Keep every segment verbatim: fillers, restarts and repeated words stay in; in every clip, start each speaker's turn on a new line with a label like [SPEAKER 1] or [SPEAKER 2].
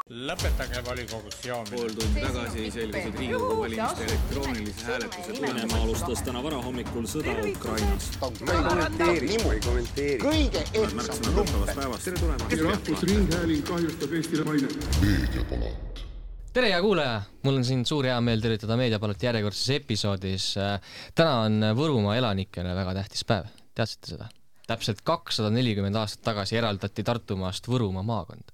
[SPEAKER 1] Lõpetage volikogus joomine.
[SPEAKER 2] Pool tundi tagasi selgusid Riigikogu valimiste elektroonilise hääletuse
[SPEAKER 3] Venemaa alustas täna varahommikul sõda Ukrainas.
[SPEAKER 4] Ma ei kommenteeri, ma ei kommenteeri. Kõige ehtsam lumpe.
[SPEAKER 2] Tere tulemast.
[SPEAKER 5] Rahvusringhääling kahjustab Eestile mainet.
[SPEAKER 6] Meediapalat.
[SPEAKER 7] Tere ja kuulaja! Mul on siin suur hea meel tervitada Meediapalat järjekordses episoodis. Täna on Võrumaa elanikele väga tähtis päev. Teadsite seda? Täpselt kakssada nelikümmend aastat tagasi eraldati Tartumaast Võrumaa maakond.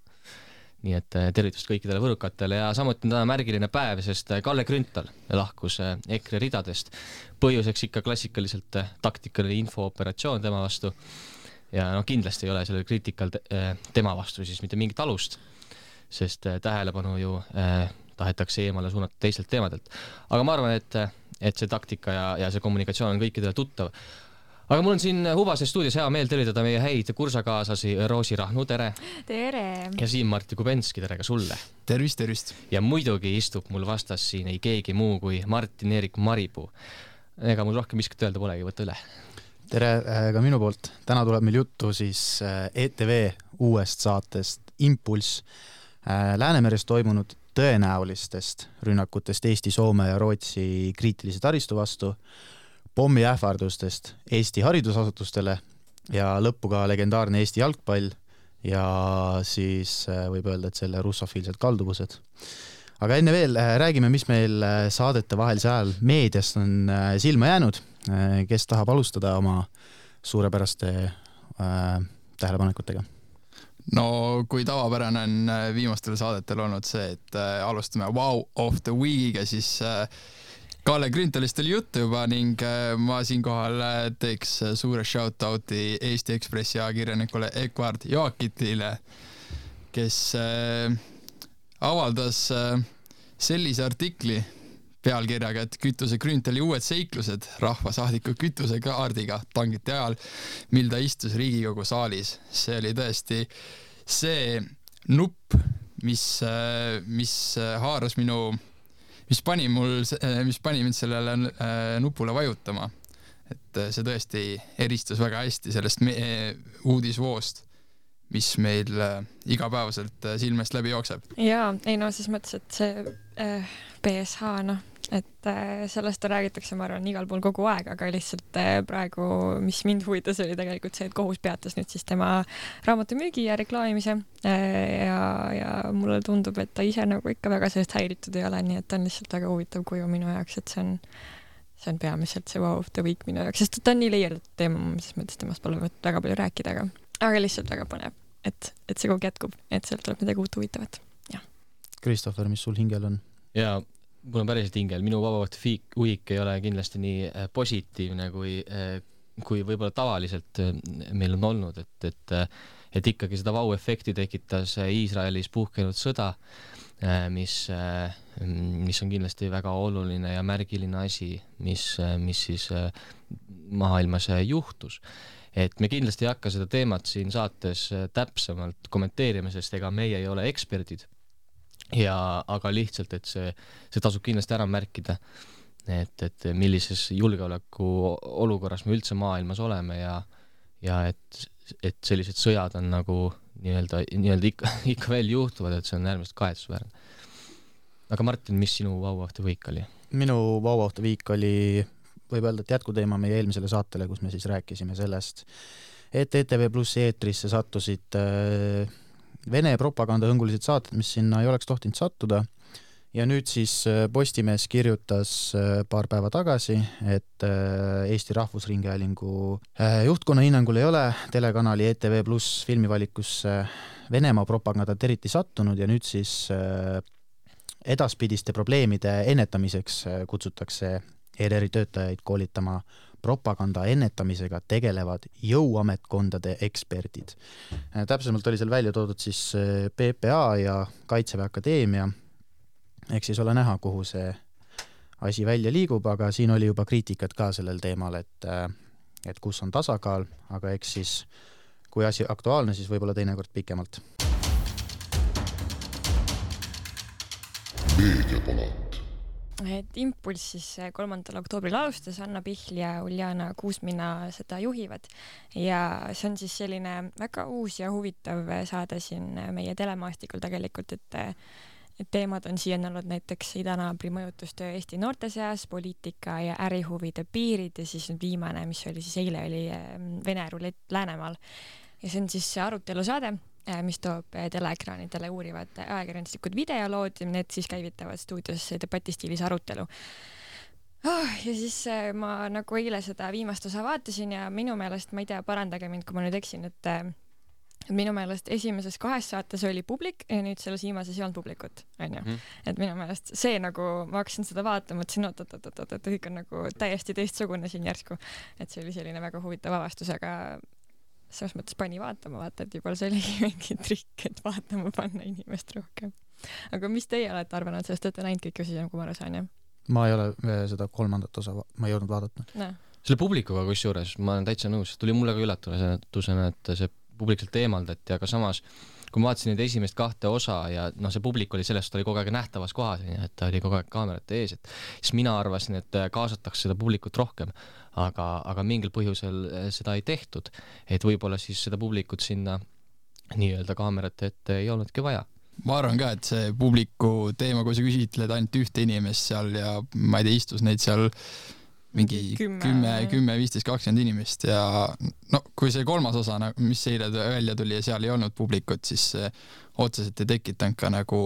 [SPEAKER 7] Nii et tervitust kõikidele võrukatele ja samuti on täna märgiline päev, sest Kalle Grünthal lahkus EKRE ridadest. Põhjuseks ikka klassikaliselt taktikaline infooperatsioon tema vastu. Ja no kindlasti ei ole sellel kriitikal tema vastu siis mitte mingit alust, sest tähelepanu ju tahetakse eemale suunata teistelt teemadelt. Aga ma arvan, et, et see taktika ja, ja see kommunikatsioon on kõikidele tuttav. Aga mul on siin Hubase stuudios hea meel tervitada meie häid kursakaaslasi Roosi Rahnu, tere!
[SPEAKER 8] Tere!
[SPEAKER 7] Ja Siim-Martti Kubenski, tere ka sulle!
[SPEAKER 9] Tervist, tervist!
[SPEAKER 7] Ja muidugi istub mul vastas siin ei keegi muu kui Martin-Erik Maripuu. Ega mul rohkem miskut öelda polegi, võtta üle.
[SPEAKER 9] Tere ka minu poolt. Täna tuleb meil juttu siis E T V uuest saatest Impulss Läänemeres toimunud tõenäolistest rünnakutest Eesti, Soome ja Rootsi kriitilise taristu vastu, pommi ähvardustest Eesti haridusasutustele ja lõppu ka legendaarne Eesti jalgpall ja siis võib öelda, et selle russofiilsed kalduvused. Aga enne veel räägime, mis meil saadete vahelise ajal meediast on silma jäänud. Kes tahab alustada oma suurepäraste äh, tähelepanekutega?
[SPEAKER 10] No kui tavapärane on viimastel saadetel olnud see, et äh, alustame Wow of the Weekiga, siis äh, Kalle Grünthalist oli juttu juba ning ma siinkohal teeks suure shoutouti Eesti Ekspressi ajakirjanikule Ekvard Joakitile, kes avaldas sellise artikli pealkirjaga, et kütuse Grünthali uued seiklused rahvasaadiku kütusekaardiga tangiti ajal, mil ta istus Riigikogu saalis. See oli tõesti see nupp, mis, mis haaras minu mis pani mul, mis pani mind sellele nupule vajutama. Et see tõesti eristus väga hästi sellest uudisvoost, mis meil igapäevaselt silmest läbi jookseb.
[SPEAKER 8] Jaa, ei no siis mõttes, et see äh, P S H, noh, et äh, sellest räägitakse, ma arvan, igal pool kogu aeg, aga lihtsalt äh, praegu, mis mind huvitas, oli tegelikult see, et kohus peatas nüüd siis tema raamatu müügi ja reklaamimise äh, ja, ja mulle tundub, et ta ise nagu ikka väga sellest häiritud ei ole, nii et ta on lihtsalt väga huvitav kuju minu jaoks, et see on, see on peamiselt see Wow of the Week minu jaoks, sest ta on nii leierdatud teema, siis mõttes temast pole väga palju rääkida, aga, aga lihtsalt väga põnev, et, et see kogu jätkub, et sealt tuleb midagi uut huvitavat.
[SPEAKER 9] Kristoffer, mis sul hingel on?
[SPEAKER 7] Jaa, mul on päriselt hingel. Minu Wow of the Week ei ole kindlasti nii positiivne, kui, kui võib-olla tavaliselt meil on olnud, et, et, et ikkagi seda wow-efekti tekitas Iisraelis puhkenud sõda, mis, mis on kindlasti väga oluline ja märgiline asi, mis, mis siis maailmas juhtus. Et me kindlasti ei hakka seda teemat siin saates täpsemalt kommenteerima, sest ega meie ei ole eksperdid. Ja, aga lihtsalt, et see, see tasub kindlasti ära märkida, et, et millises julgeoleku olukorras me üldse maailmas oleme ja, ja et, et sellised sõjad on nagu nii-öelda, nii-öelda ikka, ikka veel juhtuvad, et see on äärmiselt kahetsusväärne. Aga Martin, mis sinu Wow of the Week oli?
[SPEAKER 9] Minu Wow of the Week oli, võib öelda, et jätkuteema meie eelmisele saatele, kus me siis rääkisime sellest, et E T V Plus eetrisse sattusid äh, Vene propagandahõngulised saated, mis sinna ei oleks tohtinud sattuda. Ja nüüd siis Postimees kirjutas paar päeva tagasi, et Eesti Rahvusringhäälingu juhtkonna hinnangul ei ole telekanali E T V Plus filmivalikus Venemaa propagandat eriti sattunud ja nüüd siis edaspidiste probleemide ennetamiseks kutsutakse E R R-i töötajaid koolitama propaganda ennetamisega tegelevad jõuametkondade eksperdid. Täpsemalt oli seal välja toodud siis P P A ja Kaitseväe Akadeemia. Eks siis ole näha, kuhu see asi välja liigub, aga siin oli juba kriitikat ka sellel teemal, et, et kus on tasakaal, aga eks siis, kui asi aktuaalne, siis võib-olla teinekord pikemalt.
[SPEAKER 6] Meediapalat.
[SPEAKER 8] et Impulss siis kolmandal oktoobril alustas, Anna Pihl ja Uljana Kuusmina seda juhivad ja see on siis selline väga uus ja huvitav saade siin meie telemaastikul tegelikult, et et teemad on siiani olnud näiteks idanaabri mõjutustöö Eesti noorte seas, poliitika ja ärihuvide piirid ja siis nüüd viimane, mis oli siis eile, oli Vene rulett Läänemaal. Ja see on siis arutelusaade, mis toob teleekraanidele uurivad ajakirjanduslikud videolood ja need siis käivitavad stuudios debatistiilis arutelu. Oh, ja siis ma nagu eile seda viimast osa vaatasin ja minu meelest, ma ei tea, parandage mind, kui ma nüüd eksin, et minu meelest esimeses kahes saates oli publik ja nüüd selles viimases ei olnud publikut, on ju. Mm. Et minu meelest see nagu, ma hakkasin seda vaatama, et siin oot, oot, oot, oot, et kõik on nagu täiesti teistsugune siin järsku. Et see oli selline väga huvitav avastus, aga selles mõttes pani vaatama, vaata, et juba see oligi mingi trikk, et vaatama panna inimest rohkem. Aga mis teie olete arvanud sellest, et te näinud kõik osi, kui ma aru saan, jah?
[SPEAKER 9] Ma ei ole seda kolmandat osa, ma ei jõudnud vaadata.
[SPEAKER 8] No.
[SPEAKER 7] Selle publikuga kus juures, ma olen täitsa nõus, tuli mulle ka üllatusena, et see publikselt eemaldati, aga samas kui ma vaatasin neid esimest kahte osa ja noh, see publik oli sellest, oli kogu aeg nähtavas kohas, et ta oli kogu aeg kaamerate ees, et siis mina arvasin, et kaasatakse seda publikut rohkem, aga, aga mingil põhjusel seda ei tehtud, et võib-olla siis seda publikut sinna nii-öelda kaamerate ette ei olnudki vaja.
[SPEAKER 10] Ma arvan ka, et see publiku teema, kui sa küsitled ainult ühte inimest seal ja ma ei tea, istus neid seal mingi kümme, kümme, viisteist, kakskümmend inimest ja no kui see kolmas osa, mis eile välja tuli ja seal ei olnud publikut, siis otseselt ei tekitanud ka nagu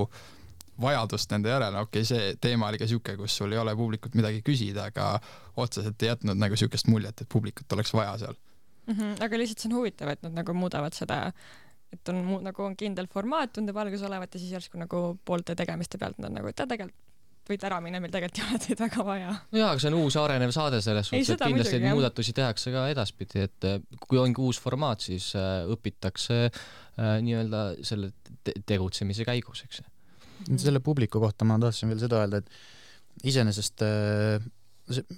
[SPEAKER 10] vajadust nende järele. Okei, okay, see teema oli ka siuke, kus sul ei ole publikut midagi küsida, aga otseselt ei jätnud nagu siukest muljet, et publikut oleks vaja seal.
[SPEAKER 8] Mm-hmm, aga lihtsalt see on huvitav, et nad nagu muudavad seda, et on nagu on kindel formaat, tundub algus olevat ja siis järsku nagu poolte tegemiste pealt nad nagu, et ta tegelikult võid ära minna, meil tegelikult ei ole teid väga vaja.
[SPEAKER 7] No jaa, aga see on uus arenev saade selles suhtes, et kindlasti muidugi, muudatusi tehakse ka edaspidi, et kui ongi uus formaat, siis õpitakse nii-öelda selle tegutsemise käigus, eks.
[SPEAKER 9] Selle publiku kohta ma tahtsin veel seda öelda, et iseenesest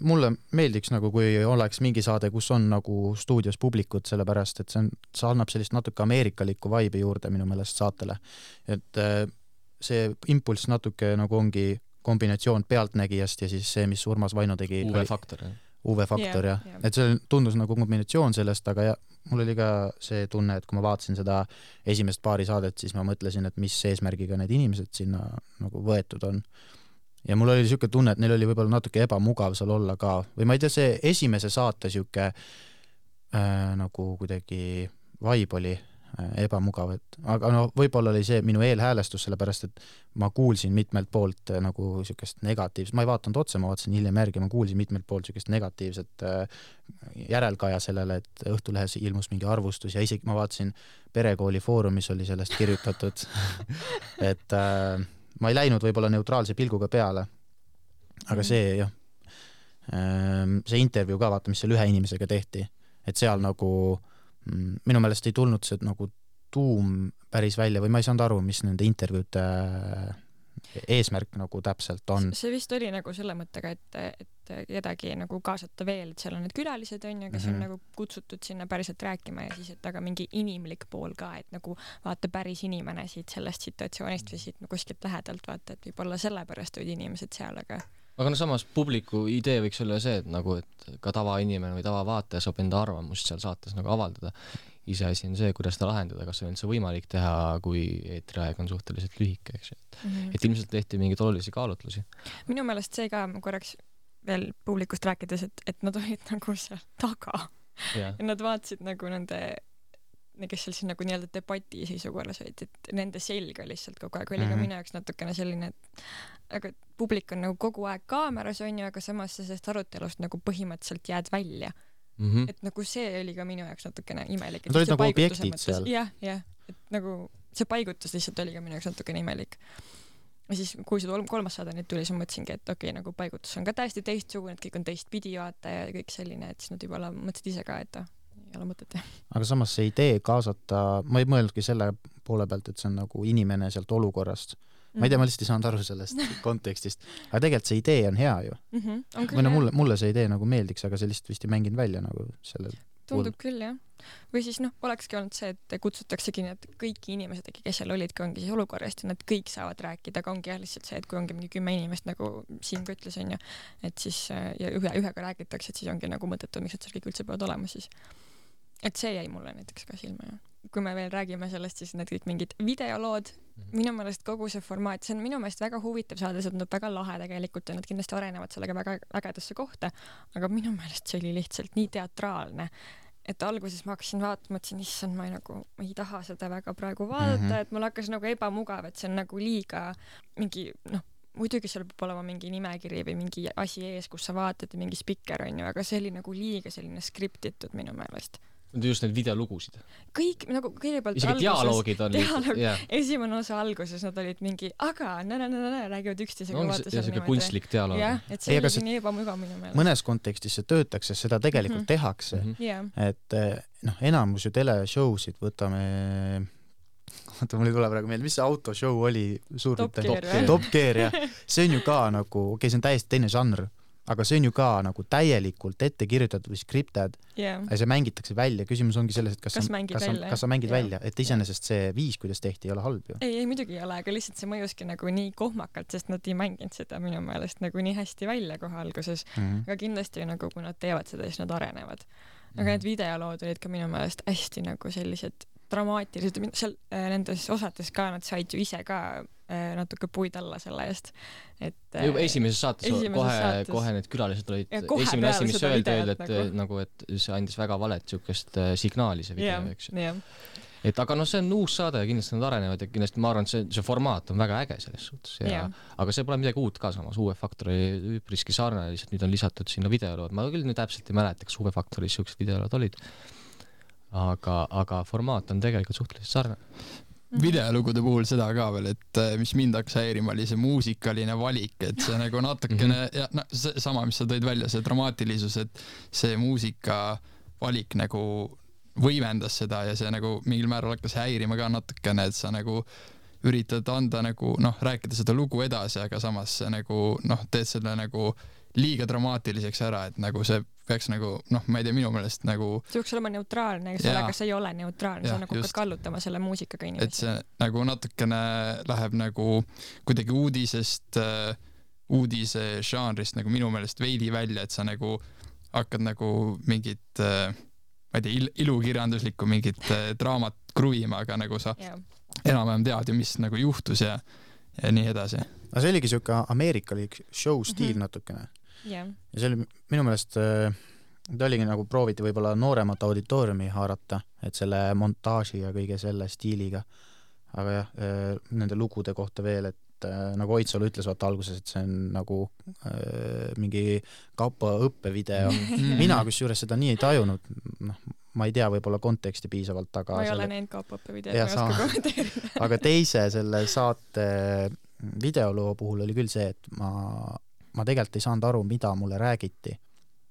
[SPEAKER 9] mulle meeldiks nagu, kui oleks mingi saade, kus on nagu stuudios publikut, sellepärast, et see, on, see annab sellist natuke ameerikalikku vibe juurde minu meelest saatele. Et see Impulss natuke nagu ongi kombinatsioon pealtnägijast ja siis see, mis Urmas Vaino tegi.
[SPEAKER 7] U V-faktor.
[SPEAKER 9] U V-faktor, jah. Yeah, yeah. Et see tundus nagu kombinatsioon sellest, aga ja, mul oli ka see tunne, et kui ma vaatasin seda esimest paari saadet, siis ma mõtlesin, et mis eesmärgiga need inimesed sinna nagu võetud on. Ja mul oli siuke tunne, et neil oli võib-olla natuke ebamugav seal olla ka. Või ma ei tea, see esimese saate siuke äh, nagu kuidagi vibe oli ebamugav, et aga no võib-olla oli see minu eelhäälestus, sellepärast et ma kuulsin mitmelt poolt nagu siukest negatiivset, ma ei vaatanud otse, ma vaatasin hiljem järgi, ma kuulsin mitmelt poolt siukest negatiivset järelkaja sellele, et Õhtulehes ilmus mingi arvustus ja isegi ma vaatasin Perekooli foorumis oli sellest kirjutatud et äh, ma ei läinud võib-olla neutraalse pilguga peale, aga see jah, see intervjuu ka vaata, mis seal ühe inimesega tehti, et seal nagu minu meelest ei tulnud see nagu tuum päris välja või ma ei saanud aru, mis nende intervjuude eesmärk nagu täpselt on.
[SPEAKER 8] See vist oli nagu selle mõttega, et, et kedagi nagu kaasata veel, et seal on need külalised on ja kes mm-hmm. on nagu kutsutud sinna päriselt rääkima ja siis, et aga mingi inimlik pool ka, et nagu vaata päris inimene siit sellest situatsioonist või siit nagu kuskilt lähedalt vaata, et võib-olla sellepärast olid inimesed seal, aga
[SPEAKER 7] aga no samas publiku idee võiks olla see, et nagu, et ka tavainimene või tavavaataja saab enda arvamust seal saates nagu avaldada. Iseasi on see, kuidas ta lahendada, kas on üldse võimalik teha, kui eetriaeg on suhteliselt lühike, eks. Mm-hmm. Et ilmselt tehti mingeid olulisi kaalutlusi. Minu
[SPEAKER 8] meelest see ka korraks veel publikust rääkides, et, et nad olid nagu seal taga. Yeah. Ja nad vaatasid nagu nende kes seal siis nagu nii-öelda debati seisukorras olid, et nende selga lihtsalt kogu aeg oli mm-hmm. ka minu jaoks natukene selline, et aga publik on nagu kogu aeg kaameras on ju, aga samas sellest arutelust nagu põhimõtteliselt jääd välja. Mm-hmm. Et nagu see oli ka minu jaoks natukene imelik.
[SPEAKER 9] Nad olid nagu objektid mõttes, seal.
[SPEAKER 8] Jah, jah, et nagu see paigutus lihtsalt oli ka minu jaoks natukene imelik. Ja siis, kui see kolmas saade nüüd tuli, siis mõtlesingi, et okei, okay, nagu paigutus on ka täiesti teistsugune, et kõik on teistpidi vaata ja kõik selline, et siis nad juba mõtlesid ise ka, et ei ole mõtet.
[SPEAKER 9] Aga samas see idee kaasata, ma ei mõelnudki selle poole pealt, et see on nagu inimene sealt olukorrast. Ma ei tea, ma lihtsalt ei saanud aru sellest kontekstist. Aga tegelikult see idee on hea ju. Mm-hmm. On küll, või no mulle, mulle see idee nagu meeldiks, aga see lihtsalt vist ei mänginud välja nagu sellel.
[SPEAKER 8] tundub küll, jah. Või siis noh, olekski olnud see, et kutsutaksegi need kõik inimesed, kes seal olidki, ongi siis olukorrast ja nad kõik saavad rääkida, aga ongi jah lihtsalt see, et kui ongi mingi kümme inimest, nagu Siim ka ütles, on ju, et siis ja ühe, ühega räägitakse, et siis ongi nagu mõttetu, miks et seal kõik üldse peavad olema siis. Et see jäi mulle näiteks ka silma, jah. Kui me veel räägime sellest, siis need kõik mingid videolood, minu meelest kogu see formaat, see on minu meelest väga huvitav saada, see tundub väga lahe tegelikult ja nad kindlasti arenevad sellega väga ägedasse kohta, aga minu meelest see oli lihtsalt nii teatraalne, et alguses ma hakkasin vaatama, et siin issand, ma ei, nagu, ma ei taha seda väga praegu vaadata, mm -hmm. et mul hakkas nagu ebamugav, et see on nagu liiga mingi, noh, muidugi seal peab olema mingi nimekiri või mingi asi ees, kus sa vaatad ja mingi spikker on ju, aga see oli nagu liiga selline skriptitud minu meelest.
[SPEAKER 7] Just need videolugusid.
[SPEAKER 8] Kõik, nagu kõigepealt
[SPEAKER 7] isegi alguses, dialoogid on
[SPEAKER 8] dialoog, yeah. Esimene osa alguses nad olid mingi, aga nä-nä-nä-nä räägivad üksteisega
[SPEAKER 7] no, vaata seal niimoodi. Kunstlik dialoog.
[SPEAKER 8] Jah, et see oli nii ebamugav minu meelest.
[SPEAKER 9] Mõnes kontekstis see töötakse, seda tegelikult mm -hmm. tehakse. Mm -hmm. yeah. Et noh, enamus ju teleshowsid võtame, vaata, mul ei tule praegu meelde, mis see autoshow oli? Suur
[SPEAKER 8] Top Gear,
[SPEAKER 9] Top Gear, jah. See on ju ka nagu, okei, see on täiesti teine žanr, aga see on ju ka nagu täielikult ette kirjutatud või skripted
[SPEAKER 8] yeah.
[SPEAKER 9] ja see mängitakse välja. Küsimus ongi selles, et kas,
[SPEAKER 8] kas,
[SPEAKER 9] sa,
[SPEAKER 8] kas,
[SPEAKER 9] sa,
[SPEAKER 8] välja,
[SPEAKER 9] kas sa mängid yeah. välja, et iseenesest see viis, kuidas tehti, ei ole halb ju.
[SPEAKER 8] Ei, ei muidugi ei ole, aga lihtsalt see mõjuski nagu nii kohmakalt, sest nad ei mänginud seda minu meelest nagu nii hästi välja kohe alguses. Mm -hmm. Aga kindlasti nagu, kui nad teevad seda, siis nad arenevad. Aga mm -hmm. need videolood olid ka minu meelest hästi nagu sellised dramaatilised, seal äh, nendes osades ka nad said ju ise ka äh, natuke puid alla selle eest. Et, äh,
[SPEAKER 7] juba esimeses saates kohe, saates. kohe need külalised olid, esimene asi, mis öeldi, öeldi, et nagu. nagu, et see andis väga valet siukest äh, signaali see video,
[SPEAKER 8] yeah,
[SPEAKER 7] eks.
[SPEAKER 8] Yeah.
[SPEAKER 7] Et aga noh, see on uus saade ja kindlasti nad arenevad ja kindlasti ma arvan, et see, see formaat on väga äge selles suhtes. Ja,
[SPEAKER 8] yeah.
[SPEAKER 7] aga see pole midagi uut ka samas, Uue Faktori üpriski sarne, lihtsalt nüüd on lisatud sinna videolood. Ma küll nüüd täpselt ei mäleta, kas Uue Faktoris siuksed videolood olid. Aga, aga formaat on tegelikult suhteliselt sarne.
[SPEAKER 10] Videolugude puhul seda ka veel, et mis mind hakkas häirima, oli see muusikaline valik, et see nagu natukene mm -hmm. ja no, see sama, mis sa tõid välja, see dramaatilisus, et see muusika valik nagu võimendas seda ja see nagu mingil määral hakkas häirima ka natukene, et sa nagu üritad anda nagu noh, rääkida seda lugu edasi, aga samas see nagu noh, teed selle nagu liiga dramaatiliseks ära, et nagu see peaks nagu, noh, ma ei tea, minu meelest nagu
[SPEAKER 8] see võiks olema neutraalne, eks ole, aga see ei ole neutraalne, sa nagu hakkad kallutama selle muusikaga inimesi.
[SPEAKER 10] Et see nagu natukene läheb nagu kuidagi uudisest, uudise žanrist nagu minu meelest veidi välja, et sa nagu hakkad nagu mingit, ma ei tea, il ilukirjanduslikku mingit draamat kruvima, aga nagu sa yeah. enam-vähem tead ju, mis nagu juhtus ja, ja nii edasi.
[SPEAKER 9] No see oligi siuke ameerikalik show stiil mm -hmm. natukene.
[SPEAKER 8] Yeah.
[SPEAKER 9] Ja see oli minu meelest, ta oligi nagu prooviti võib-olla nooremat auditooriumi haarata, et selle montaaži ja kõige selle stiiliga. Aga jah, nende lugude kohta veel, et nagu Oitsalu ütles vaata alguses, et see on nagu äh, mingi kapo õppevideo. Mina kusjuures seda nii ei tajunud, noh, ma ei tea võib-olla konteksti piisavalt, aga
[SPEAKER 8] ma ei selle... ole näinud kapo õppevideo, ma ei oska kommenteerida.
[SPEAKER 9] Aga teise selle saate videoloo puhul oli küll see, et ma ma tegelikult ei saanud aru, mida mulle räägiti.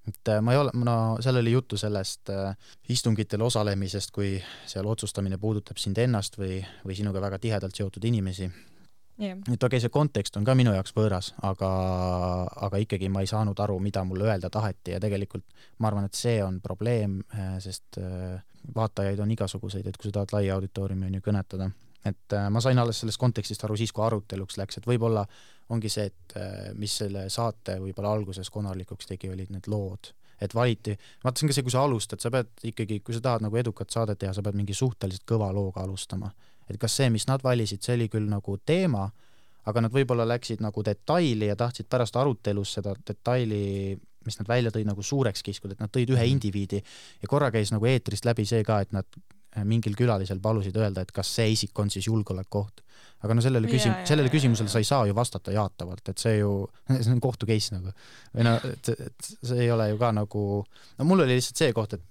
[SPEAKER 9] Et ma ei ole, no seal oli juttu sellest äh, istungitel osalemisest, kui seal otsustamine puudutab sind ennast või, või sinuga väga tihedalt seotud inimesi.
[SPEAKER 8] Yeah.
[SPEAKER 9] Et okei, see kontekst on ka minu jaoks võõras, aga, aga ikkagi ma ei saanud aru, mida mulle öelda taheti ja tegelikult ma arvan, et see on probleem, sest äh, vaatajaid on igasuguseid, et kui sa tahad laia auditooriumi on ju kõnetada. Et äh, ma sain alles sellest kontekstist aru siis, kui aruteluks läks, et võib-olla ongi see, et äh, mis selle saate võib-olla alguses konarlikuks tegi, olid need lood. Et valiti, vaata see on ka see, kui sa alustad, sa pead ikkagi, kui sa tahad nagu edukat saadet teha, sa pead mingi suhteliselt kõva looga alustama. Et kas see, mis nad valisid, see oli küll nagu teema, aga nad võib-olla läksid nagu detaili ja tahtsid pärast arutelus seda detaili, mis nad välja tõid nagu suureks kiskud, et nad tõid ühe indiviidi ja korra käis nagu eetrist läbi see ka, et nad mingil külalisel palusid öelda, et kas see isik on siis julgeolekuoht. Aga no sellele, küsim ja, ja, sellele küsimusele sa ei saa ju vastata jaatavalt, et see ju, see on kohtu case nagu. Või no, et, et see ei ole ju ka nagu, no mul oli lihtsalt see koht, et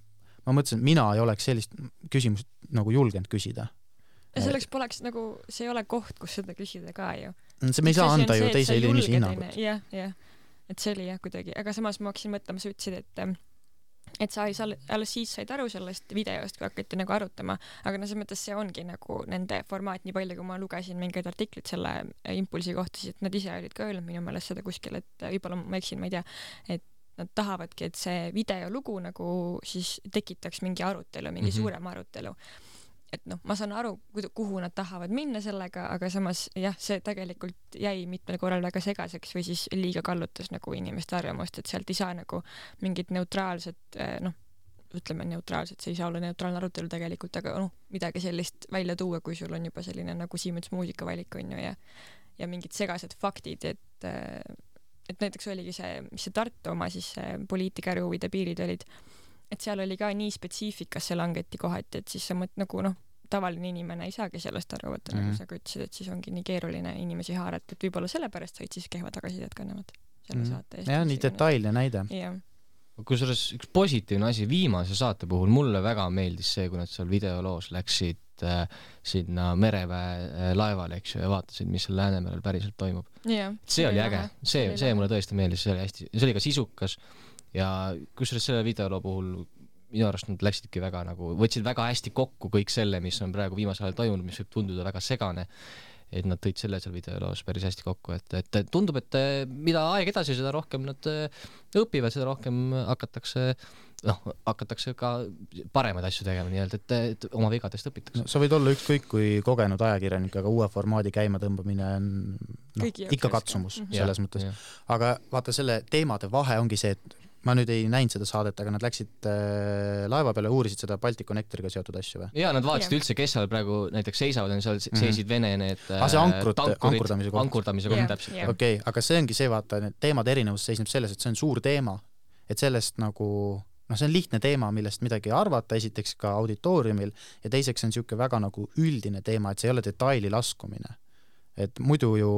[SPEAKER 9] ma mõtlesin, et mina ei oleks sellist küsimust nagu julgenud küsida.
[SPEAKER 8] Ja selleks poleks nagu, see ei ole koht, kus seda küsida ka ju.
[SPEAKER 9] See me ei saa anda ju teise inimesi hinnagut.
[SPEAKER 8] Jah, jah, et see oli jah kuidagi, aga samas ma hakkasin mõtlema, sa ütlesid, et et sa ei saa, alles siis said aru sellest videost, kui hakati nagu arutama, aga no selles mõttes see ongi nagu nende formaat nii palju, kui ma lugesin mingeid artiklit selle impulsi kohta, siis et nad ise olid ka öelnud minu meelest seda kuskil, et võib-olla ma eksin, ma ei tea, et nad tahavadki, et see videolugu nagu siis tekitaks mingi arutelu, mingi mm-hmm. suurem arutelu. Et noh, ma saan aru, kuhu nad tahavad minna sellega, aga samas jah, see tegelikult jäi mitmel korral väga segaseks või siis liiga kallutas nagu inimeste arvamust, et sealt ei saa nagu mingit neutraalset, noh, ütleme neutraalset, see ei saa olla neutraalne arutelu tegelikult, aga noh, midagi sellist välja tuua, kui sul on juba selline nagu Siemens muusikavalik on ju ja, ja mingid segased faktid, et, et näiteks oligi see, mis see Tartu oma siis poliitikäruvide piirid olid, et seal oli ka nii spetsiifikas see langeti kohati, et siis sa mõt nagu noh, tavaline inimene ei saagi sellest aru võtta, mm. nagu sa ka ütlesid, et siis ongi nii keeruline inimesi haarata, et võib-olla sellepärast said siis kehva tagasisidet kannevad selle mm. saate eest.
[SPEAKER 9] jah, nii detailne näide.
[SPEAKER 7] Kusjuures üks positiivne asi viimase saate puhul, mulle väga meeldis see, kui nad seal videoloos läksid äh, sinna mereväe laevale, eks ju, ja vaatasid, mis seal Läänemerel päriselt toimub.
[SPEAKER 8] Ja,
[SPEAKER 7] see oli äge, see, see mulle tõesti meeldis, see oli hästi, see oli ka sisukas ja kusjuures selle videoloo puhul minu arust nad läksidki väga nagu, võtsid väga hästi kokku kõik selle, mis on praegu viimasel ajal toimunud, mis võib tunduda väga segane, et nad tõid selle seal videoloos päris hästi kokku, et, et tundub, et mida aeg edasi, seda rohkem nad õpivad, seda rohkem hakatakse, noh, hakatakse ka paremaid asju tegema, nii-öelda, et, et oma vigadest õpitakse.
[SPEAKER 9] No, sa võid olla ükskõik kui kogenud ajakirjanik, aga uue formaadi käima tõmbamine on no, ikka katsumus mm-hmm. selles ja, mõttes. Ja. Aga vaata, selle teemade vahe ongi see, et ma nüüd ei näinud seda saadet, aga nad läksid äh, laeva peale, uurisid seda Baltic Connectoriga seotud asju või?
[SPEAKER 7] Jaa, nad vaatasid üldse, kes seal praegu näiteks seisavad, seal seisid mm-hmm. Vene need äh,
[SPEAKER 9] ah, see ankrut, ankurdamise koht.
[SPEAKER 7] Ankurdamise koht, täpselt.
[SPEAKER 9] Okei, okay, aga see ongi see, vaata, need teemade erinevus seisneb selles, et see on suur teema, et sellest nagu, noh, see on lihtne teema, millest midagi arvata, esiteks ka auditooriumil, ja teiseks on siuke väga nagu üldine teema, et see ei ole detaili laskumine. Et muidu ju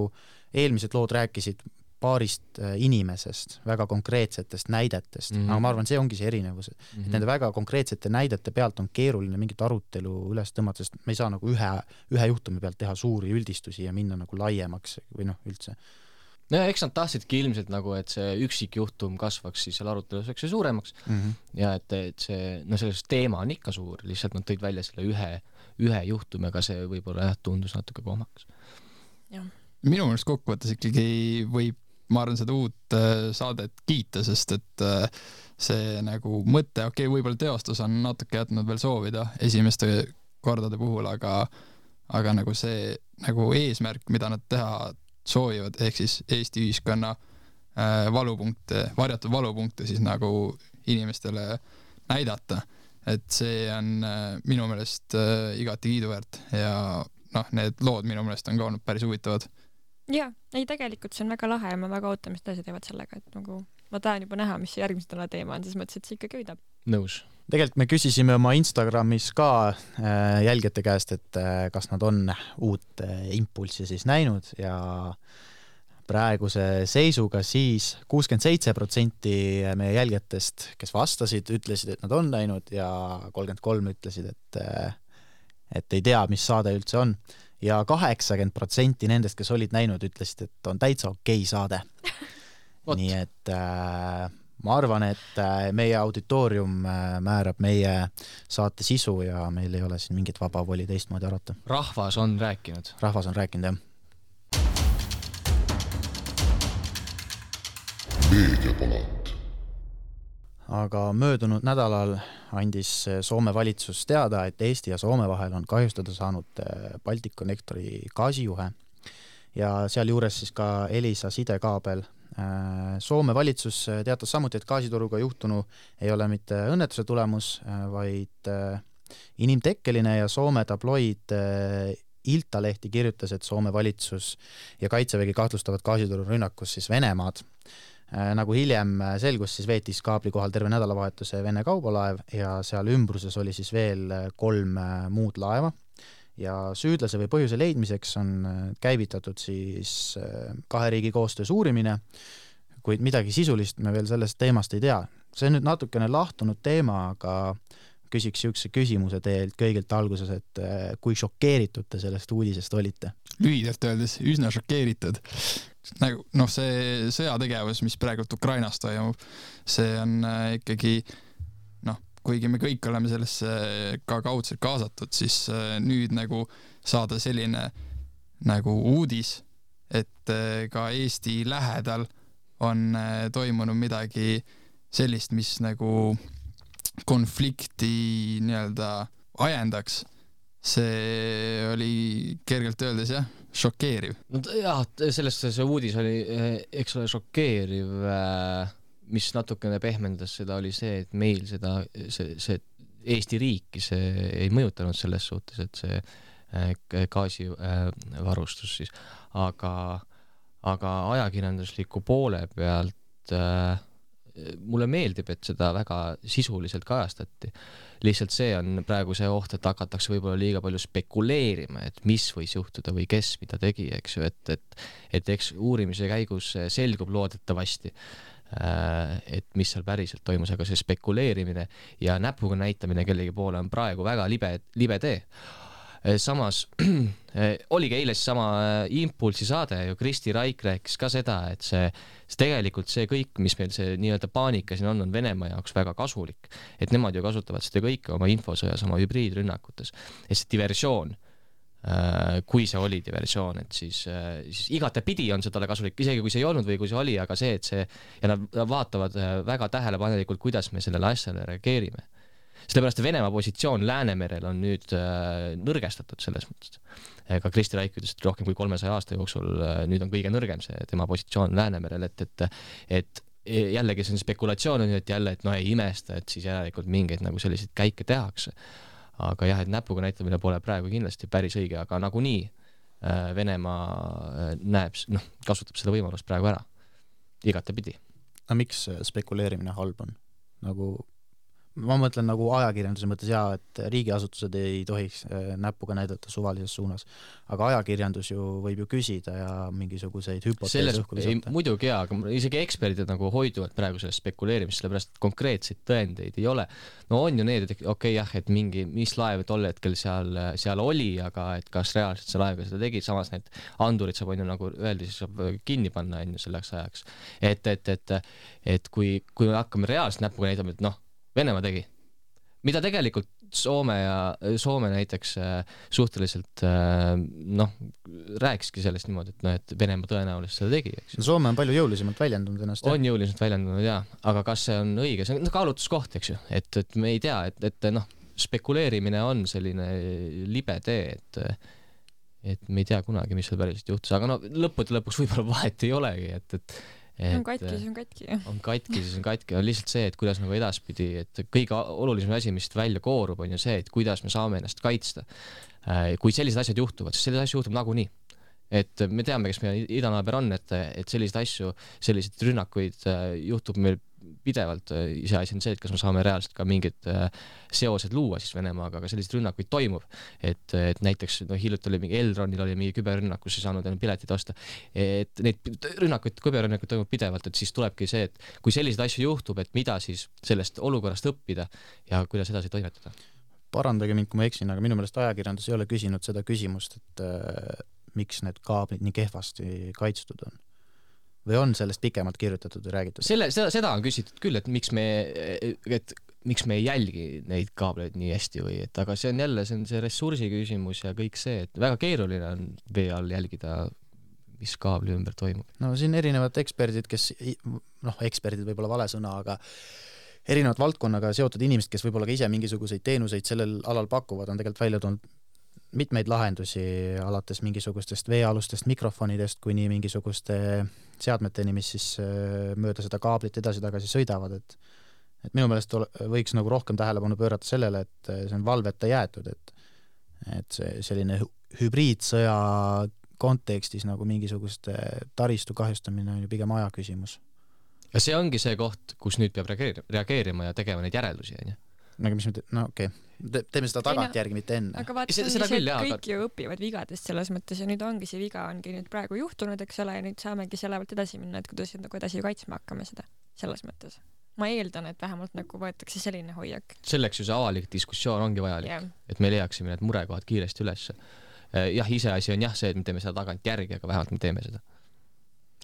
[SPEAKER 9] eelmised lood rääkisid paarist inimesest, väga konkreetsetest näidetest, mm-hmm. aga ma arvan, see ongi see erinevus, et mm-hmm. nende väga konkreetsete näidete pealt on keeruline mingit arutelu üles tõmmata, sest me ei saa nagu ühe, ühe juhtumi pealt teha suuri üldistusi ja minna nagu laiemaks või noh, üldse.
[SPEAKER 7] No ja eks nad tahtsidki ilmselt nagu, et see üksik juhtum kasvaks siis seal arutelus väikse suuremaks mm-hmm. ja et, et see, no sellest teema on ikka suur, lihtsalt nad tõid välja selle ühe, ühe juhtumiga, see võib-olla jah, tundus natuke kohmakas.
[SPEAKER 8] Jah.
[SPEAKER 10] Minu mõnest kokkuvõttes ikkagi võib ma arvan seda uut äh, saadet kiita, sest et äh, see nagu mõte, okei, okay, võib-olla teostus on natuke jätnud veel soovida esimeste kordade puhul, aga, aga nagu see nagu eesmärk, mida nad teha soovivad, ehk siis Eesti ühiskonna äh, valupunkte, varjatud valupunkte siis nagu inimestele näidata, et see on äh, minu meelest äh, igati kiiduväärt ja noh, need lood minu meelest on ka olnud päris huvitavad.
[SPEAKER 8] Jaa, ei tegelikult see on väga lahe ja ma väga ootan, mis tõesti teevad sellega, et nagu ma tahan juba näha, mis see järgmise täna teema on, siis mõtlesin, et see ikkagi võidab.
[SPEAKER 7] Nõus.
[SPEAKER 9] Tegelikult me küsisime oma Instagramis ka äh, jälgijate käest, et äh, kas nad on uut äh, impulssi siis näinud ja praeguse seisuga siis kuuskümmend seitse protsenti meie jälgijatest, kes vastasid, ütlesid, et nad on näinud ja kolmkümmend kolm ütlesid, et, äh, et ei tea, mis saade üldse on. Ja kaheksakümmend protsenti nendest, kes olid näinud, ütlesid, et on täitsa okei saade. Nii et äh, ma arvan, et äh, meie auditoorium äh, määrab meie saate sisu ja meil ei ole siin mingit vaba voli teistmoodi arvata.
[SPEAKER 7] Rahvas on rääkinud.
[SPEAKER 9] Rahvas on rääkinud, jah.
[SPEAKER 5] Meediapalat.
[SPEAKER 9] Aga möödunud nädalal andis Soome valitsus teada, et Eesti ja Soome vahel on kahjustada saanud Baltic Connectori gaasijuhe ja seal juures siis ka Elisa sidekaabel. Soome valitsus teatas samuti, et gaasituruga juhtunu ei ole mitte õnnetuse tulemus, vaid inimtekkeline ja Soome tabloid Iltalehti kirjutas, et Soome valitsus ja Kaitsevägi kahtlustavad gaasituru rünnakus siis Venemaad. Nagu hiljem selgus, siis veetis kaabli kohal terve nädalavahetuse Vene kaubalaev ja seal ümbruses oli siis veel kolm muud laeva ja süüdlase või põhjuse leidmiseks on käivitatud siis kahe riigi koostöös uurimine, kuid midagi sisulist me veel sellest teemast ei tea. See on nüüd natukene lahtunud teema, aga küsiks siukse küsimuse teilt kõigilt alguses, et kui šokeeritud te sellest uudisest olite?
[SPEAKER 10] Lühidalt öeldes üsna šokeeritud. Nagu, noh, see sõjategevus, mis praegult Ukrainas toimub, see on ikkagi, noh, kuigi me kõik oleme sellesse ka kaudselt kaasatud, siis nüüd nagu saada selline nagu uudis, et ka Eesti lähedal on toimunud midagi sellist, mis nagu konflikti nii-öelda ajendaks, see oli kergelt öeldes jah, šokeeriv.
[SPEAKER 7] No jah, sellest see uudis oli, eks ole, šokeeriv, mis natukene pehmendas seda, oli see, et meil seda, see, see Eesti riiki see ei mõjutanud selles suhtes, et see gaasivarustus siis, aga, aga ajakirjandusliku poole pealt mulle meeldib, et seda väga sisuliselt kajastati. Lihtsalt see on praegu see oht, et hakatakse võib-olla liiga palju spekuleerima, et mis võis juhtuda või kes mida tegi, eks ju, et, et, et eks uurimise käigus selgub loodetavasti, et mis seal päriselt toimus, aga see spekuleerimine ja näpuga näitamine kellegi poole on praegu väga libe, libe tee. Samas oligi eile sama Impulsi saade ju, Kristi Raik rääkis ka seda, et see, see tegelikult see kõik, mis meil see nii-öelda paanika siin on, on Venemaa jaoks väga kasulik, et nemad ju kasutavad seda kõike oma infosõjas, oma hübriidrünnakutes, et see diversioon, kui see oli diversioon, et siis, siis igatepidi on see talle kasulik, isegi kui see ei olnud või kui see oli, aga see, et see ja nad vaatavad väga tähelepanelikult, kuidas me sellele asjale reageerime. Sellepärast Venemaa positsioon Läänemerel on nüüd äh, nõrgestatud selles mõttes. Ka Kristi Raik ütles, et rohkem kui kolmesaja aasta jooksul äh, nüüd on kõige nõrgem see tema positsioon Läänemerel, et, et, et jällegi see on spekulatsioon, et jälle, et no ei imesta, et siis järelikult mingeid nagu selliseid käike tehakse. Aga jah, et näpuga näitamine pole praegu kindlasti päris õige, aga nagunii äh, Venemaa näeb, noh, kasutab seda võimalust praegu ära. Igatepidi.
[SPEAKER 9] No miks spekuleerimine halb on? Nagu ma mõtlen nagu ajakirjanduse mõttes jaa, et riigiasutused ei tohiks näpuga näidata suvalises suunas, aga ajakirjandus ju võib ju küsida ja mingisuguseid hüpoteese õhku
[SPEAKER 7] visata. Muidugi jaa, aga isegi eksperdid nagu hoiduvad praegu sellest spekuleerimist, sellepärast konkreetseid tõendeid ei ole. No on ju need, et okei okay, jah, et mingi, mis laev tol hetkel seal, seal oli, aga et kas reaalselt see laev ka seda tegi, samas need andurid saab on ju nagu öeldi, siis saab kinni panna on ju selleks ajaks. Et, et, et, et kui, kui me hakkame reaalselt näpuga näitama, et noh, Venemaa tegi. Mida tegelikult Soome ja Soome näiteks suhteliselt noh, rääkiski sellest niimoodi, et, no, et Venemaa tõenäoliselt seda tegi. Eks.
[SPEAKER 9] Soome on palju jõulisemalt väljendanud ennast.
[SPEAKER 7] On jõulisemalt väljendanud, jah. Aga kas see on õige? See on kaalutuskoht, eks ju. Et, et me ei tea, et, et noh, spekuleerimine on selline libe tee, et, et me ei tea kunagi, mis seal päriselt juhtus. Aga no lõppude lõpuks võib-olla vahet ei olegi, et, et
[SPEAKER 8] Et, on katki, siis on katki.
[SPEAKER 7] On katki, siis on katki. On lihtsalt see, et kuidas nagu edaspidi, et kõige olulisem asi, mis välja koorub, on ju see, et kuidas me saame ennast kaitsta. Kui sellised asjad juhtuvad, siis sellised asjad juhtub nagu nii. Et me teame, kes meie idanaaber on, et, et sellised asju, sellised rünnakuid juhtub meil pidevalt. Ise asi on see, et kas me saame reaalselt ka mingid seosed luua siis Venemaaga, aga sellised rünnakuid toimub. Et, et näiteks no, hiljuti oli mingi Elronil oli mingi küberrünnakus, siis saanud enne piletid osta. Et neid rünnakuid, küberrünnakuid toimub pidevalt, et siis tulebki see, et kui sellised asju juhtub, et mida siis sellest olukorrast õppida ja kuidas edasi toimetada.
[SPEAKER 9] Parandage mind, kui ma eksin, aga minu meelest ajakirjandus ei ole küsinud seda küsimust, et äh, miks need kaablid nii kehvasti kaitstud on. Või on sellest pikemalt kirjutatud ja räägitud?
[SPEAKER 7] Selle, seda, seda on küsitud küll, et miks me, et miks me ei jälgi neid kaableid nii hästi või, et aga see on jälle, see on see ressursi küsimus ja kõik see, et väga keeruline on vee all jälgida, mis kaabli ümber toimub.
[SPEAKER 9] No siin erinevad eksperdid, kes, noh, eksperdid võib-olla vale sõna, aga erinevad valdkonnaga seotud inimesed, kes võib-olla ka ise mingisuguseid teenuseid sellel alal pakuvad, on tegelikult välja tulnud mitmeid lahendusi alates mingisugustest veealustest mikrofonidest kuni mingisuguste seadmeteni, mis siis mööda seda kaablit edasi-tagasi sõidavad, et, et minu meelest võiks nagu rohkem tähelepanu pöörata sellele, et see on valveta jäetud, et, et see selline hübriidsõja kontekstis nagu mingisuguste taristu kahjustamine on ju pigem aja küsimus.
[SPEAKER 7] Ja see ongi see koht, kus nüüd peab reageerima ja tegema neid järeldusi, on ju?
[SPEAKER 9] Aga mis me te... no okei, okay. teeme seda tagantjärgi, mitte enne.
[SPEAKER 8] Aga vaata, see, see, küll, kõik aga... ju õpivad vigadest selles mõttes ja nüüd ongi see viga ongi nüüd praegu juhtunud, eks ole, ja nüüd saamegi selle pealt edasi minna, et kuidas nagu edasi kaitsma hakkame seda selles mõttes. Ma eeldan, et vähemalt nagu võetakse selline hoiak. Selleks
[SPEAKER 7] ju see avalik diskussioon ongi vajalik, yeah. Et me leiaksime need murekohad kiiresti üles. Jah, ise asi on jah see, et me teeme seda tagantjärgi, aga vähemalt me teeme seda.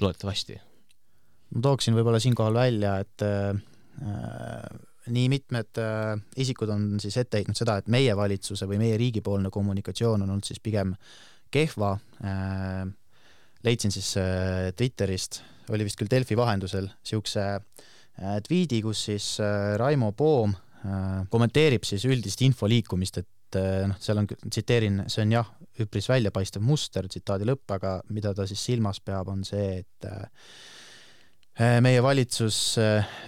[SPEAKER 7] Loodetavasti.
[SPEAKER 9] Ma tooksin võib-olla siinkohal välja, et äh, nii mitmed äh, isikud on siis ette heitnud seda, et meie valitsuse või meie riigipoolne kommunikatsioon on olnud siis pigem kehva. Äh, leidsin siis äh, Twitterist, oli vist küll Delfi vahendusel, siukse tweedi, kus siis Raimo Poom kommenteerib siis üldist info liikumist, et noh, seal on, tsiteerin, see on jah, üpris väljapaistev muster, tsitaadi lõpp, aga mida ta siis silmas peab, on see, et meie valitsus,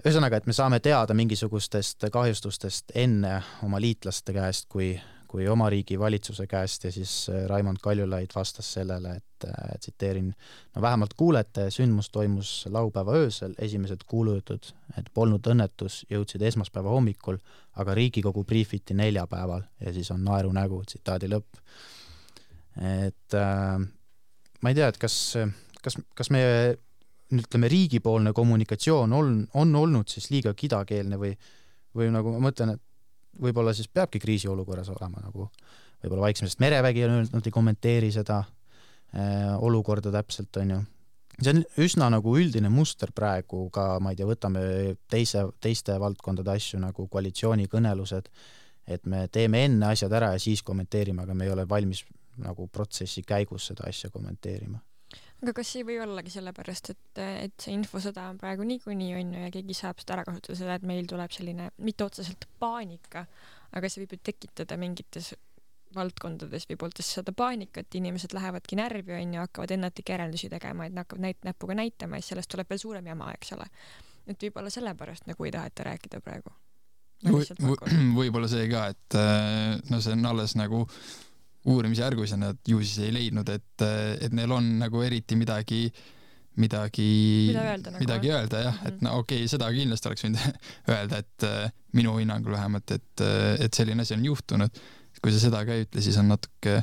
[SPEAKER 9] ühesõnaga, et me saame teada mingisugustest kahjustustest enne oma liitlaste käest kui, kui oma riigi valitsuse käest ja siis Raimond Kaljulaid vastas sellele, et tsiteerin, no vähemalt kuulete, sündmus toimus laupäeva öösel, esimesed kuulujutud, et polnud õnnetus, jõudsid esmaspäeva hommikul, aga Riigikogu briifiti neljapäeval ja siis on naeru nägu, tsitaadi lõpp. Et äh, ma ei tea, et kas, kas, kas meie ütleme, riigipoolne kommunikatsioon on, on olnud siis liiga kidakeelne või, või nagu ma mõtlen, et võib-olla siis peabki kriisiolukorras olema nagu, võib-olla vaiksemast merevägi on öelnud, nad ei kommenteeri seda äh, olukorda täpselt, on ju. See on üsna nagu üldine muster praegu ka, ma ei tea, võtame teise, teiste valdkondade asju nagu koalitsioonikõnelused, et me teeme enne asjad ära ja siis kommenteerime, aga me ei ole valmis nagu protsessi käigus seda asja kommenteerima.
[SPEAKER 8] Aga kas ei või ollagi sellepärast, et, et see infosõda on praegu niikuinii on ja keegi saab seda ära kasutada seda, et meil tuleb selline mitte otseselt paanika, aga see võib ju tekitada mingites valdkondades või pooltes seda paanikat, inimesed lähevadki närvi on ja hakkavad ennatlikke järeldusi tegema, et hakkavad näit, näpuga näitama ja sellest tuleb veel suurem jama, eks ole. Et võib-olla sellepärast nagu ei taheta rääkida praegu.
[SPEAKER 10] Või, võib-olla see ka, et no see on alles nagu uurimisjärgus ja nad ju siis ei leidnud, et, et neil on nagu eriti midagi midagi
[SPEAKER 8] Mida öelda, nagu
[SPEAKER 10] midagi öelda jah, mm-hmm. et no okei, okay, seda kindlasti oleks võinud öelda, et minu hinnangul vähemalt, et, et selline asi on juhtunud. Kui sa seda ka ei ütle, siis on natuke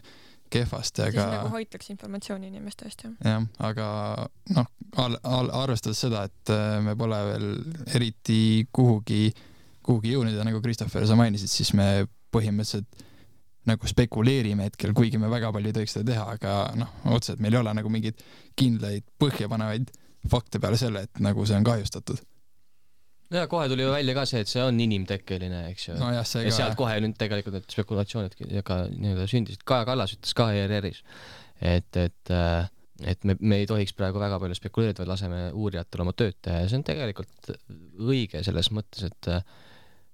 [SPEAKER 10] kehvasti, aga
[SPEAKER 8] siis nagu hoitakse informatsiooni inimeste eest, jah.
[SPEAKER 10] jah, aga noh, al, al, arvestades seda, et me pole veel eriti kuhugi, kuhugi jõudnud ja nagu Christopher, sa mainisid, siis me põhimõtteliselt nagu spekuleerime hetkel, kuigi me väga palju ei tohiks seda teha, aga noh, otseselt meil ei ole nagu mingid kindlaid põhjapanevaid fakte peale selle, et nagu see on kahjustatud.
[SPEAKER 7] Ja kohe tuli ju välja ka see, et see on inimtekkeline, eks ju.
[SPEAKER 10] No jah, see
[SPEAKER 7] ja
[SPEAKER 10] ka,
[SPEAKER 7] sealt
[SPEAKER 10] jah.
[SPEAKER 7] kohe nüüd tegelikult need spekulatsioonid ka nii-öelda sündisid. Kaja Kallas ütles ka E R R-is, et, et, et me, me ei tohiks praegu väga palju spekuleerida, vaid laseme uurijatel oma tööd teha ja see on tegelikult õige selles mõttes, et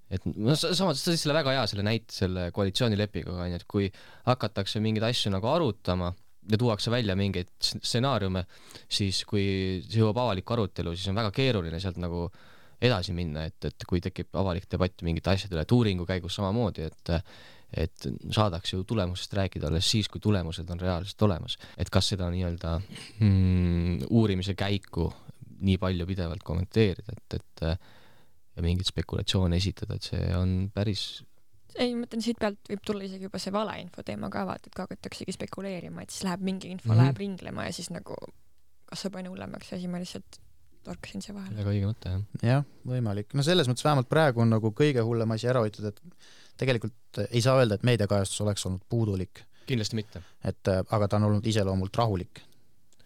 [SPEAKER 7] et no samas sa siis selle väga hea selle näite selle koalitsioonilepinguga, et kui hakatakse mingeid asju nagu arutama ja tuuakse välja mingeid stsenaariume, siis kui see jõuab avaliku arutelu, siis on väga keeruline sealt nagu edasi minna, et, et kui tekib avalik debatt mingite asjade üle, et uuringu käigus samamoodi, et et saadaks ju tulemusest rääkida alles siis, kui tulemused on reaalselt olemas. Et kas seda nii-öelda mm, uurimise käiku nii palju pidevalt kommenteerida, et, et ja mingit spekulatsioone esitada, et see on päris...
[SPEAKER 8] Ei, mõtlen, siit pealt võib tulla isegi juba see valeinfo teema ka vaat, et hakataksegi spekuleerima, et siis läheb mingi info, mm-hmm. läheb ringlema ja siis nagu kasvab aina hullemaks ja siis ma lihtsalt torkasin see vahel.
[SPEAKER 7] Väga õige mõte, jah.
[SPEAKER 9] jah, võimalik. No selles mõttes vähemalt praegu on nagu kõige hullem asi ära hoitud, et tegelikult ei saa öelda, et meediakajastus oleks olnud puudulik.
[SPEAKER 7] Kindlasti mitte.
[SPEAKER 9] Et, aga ta on olnud iseloomult rahulik.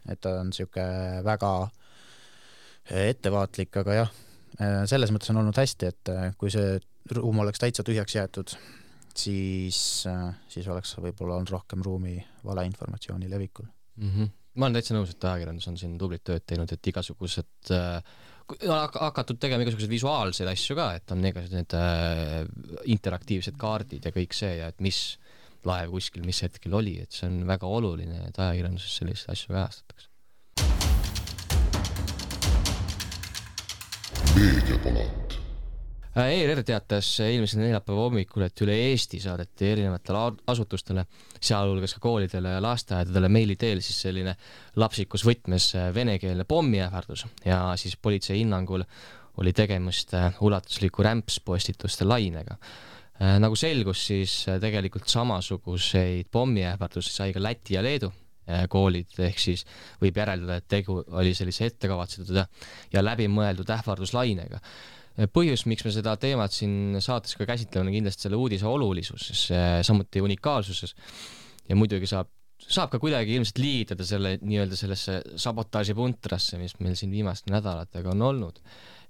[SPEAKER 9] Et ta on siuke väga ettevaatlik, aga jah, selles mõttes on olnud hästi, et kui see ruum oleks täitsa tühjaks jäetud, siis, siis oleks võib-olla olnud rohkem ruumi valeinformatsiooni levikul.
[SPEAKER 7] Mm-hmm. Ma olen täitsa nõus, et ajakirjandus on siin tublit tööd teinud, et igasugused äh, hakatud tegema igasugused visuaalseid asju ka, et on igasugused need äh, interaktiivsed kaardid ja kõik see ja et mis laev kuskil, mis hetkel oli, et see on väga oluline, et ajakirjanduses selliseid asju kajastatakse.
[SPEAKER 5] Meediapalat.
[SPEAKER 7] E R R teatas eelmisel neljapäeva hommikul, et üle Eesti saadeti erinevatele asutustele, sealhulgas ka koolidele ja lasteaedadele meili teel siis selline lapsikus võtmes venekeelne pommiähvardus ja siis politsei hinnangul oli tegemist ulatusliku rämpspostituste lainega. Nagu selgus, siis tegelikult samasuguseid pommiähvardusi sai ka Läti ja Leedu koolid, ehk siis võib järeldada, et tegu oli sellise ettekavatsetud ja läbimõeldud ähvarduslainega. Põhjus, miks me seda teemat siin saates ka käsitleme, on kindlasti selle uudise olulisuses, samuti unikaalsuses ja muidugi saab, saab ka kuidagi ilmselt liigitada selle nii-öelda sellesse sabotaaži puntrasse, mis meil siin viimaste nädalatega on olnud,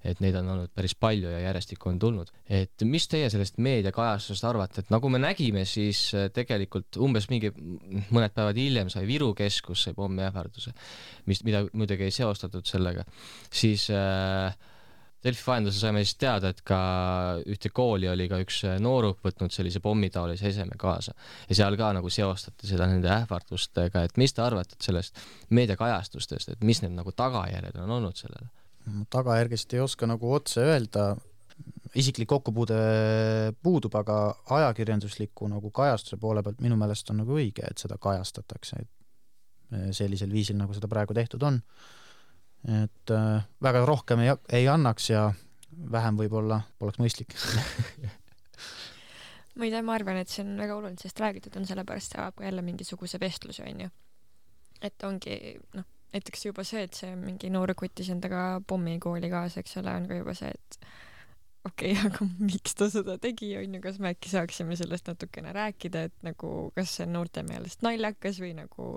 [SPEAKER 7] et neid on olnud päris palju ja järjestikku on tulnud. Et mis teie sellest meediakajastusest arvate, et nagu me nägime, siis tegelikult umbes mingi mõned päevad hiljem sai Viru keskus sai pommiähvarduse, mis, mida muidugi ei seostatud sellega, siis äh, Delfi vahendusel saime siis teada, et ka ühte kooli oli ka üks nooruk võtnud sellise pommitaolise eseme kaasa ja seal ka nagu seostati seda nende ähvardustega, et mis te arvate sellest meediakajastustest, et mis need nagu tagajärjed on olnud sellele?
[SPEAKER 9] Tagajärgest ei oska nagu otse öelda, isiklik kokkupuude puudub, aga ajakirjandusliku nagu kajastuse poole pealt minu meelest on nagu õige, et seda kajastatakse sellisel viisil, nagu seda praegu tehtud on. Et äh, väga rohkem ei, ei annaks ja vähem võib-olla poleks mõistlik.
[SPEAKER 8] ma ei tea, ma arvan, et see on väga oluline, sest räägitud on sellepärast saab ka jälle mingisuguse vestluse, on ju. Et ongi, noh, näiteks juba see, et see mingi noore kutis endaga pommi kooli kaasa, eks ole, on ka juba see, et okei, okay, aga miks ta seda tegi, on ju, kas me äkki saaksime sellest natukene rääkida, et nagu, kas see on noorte meelest naljakas või nagu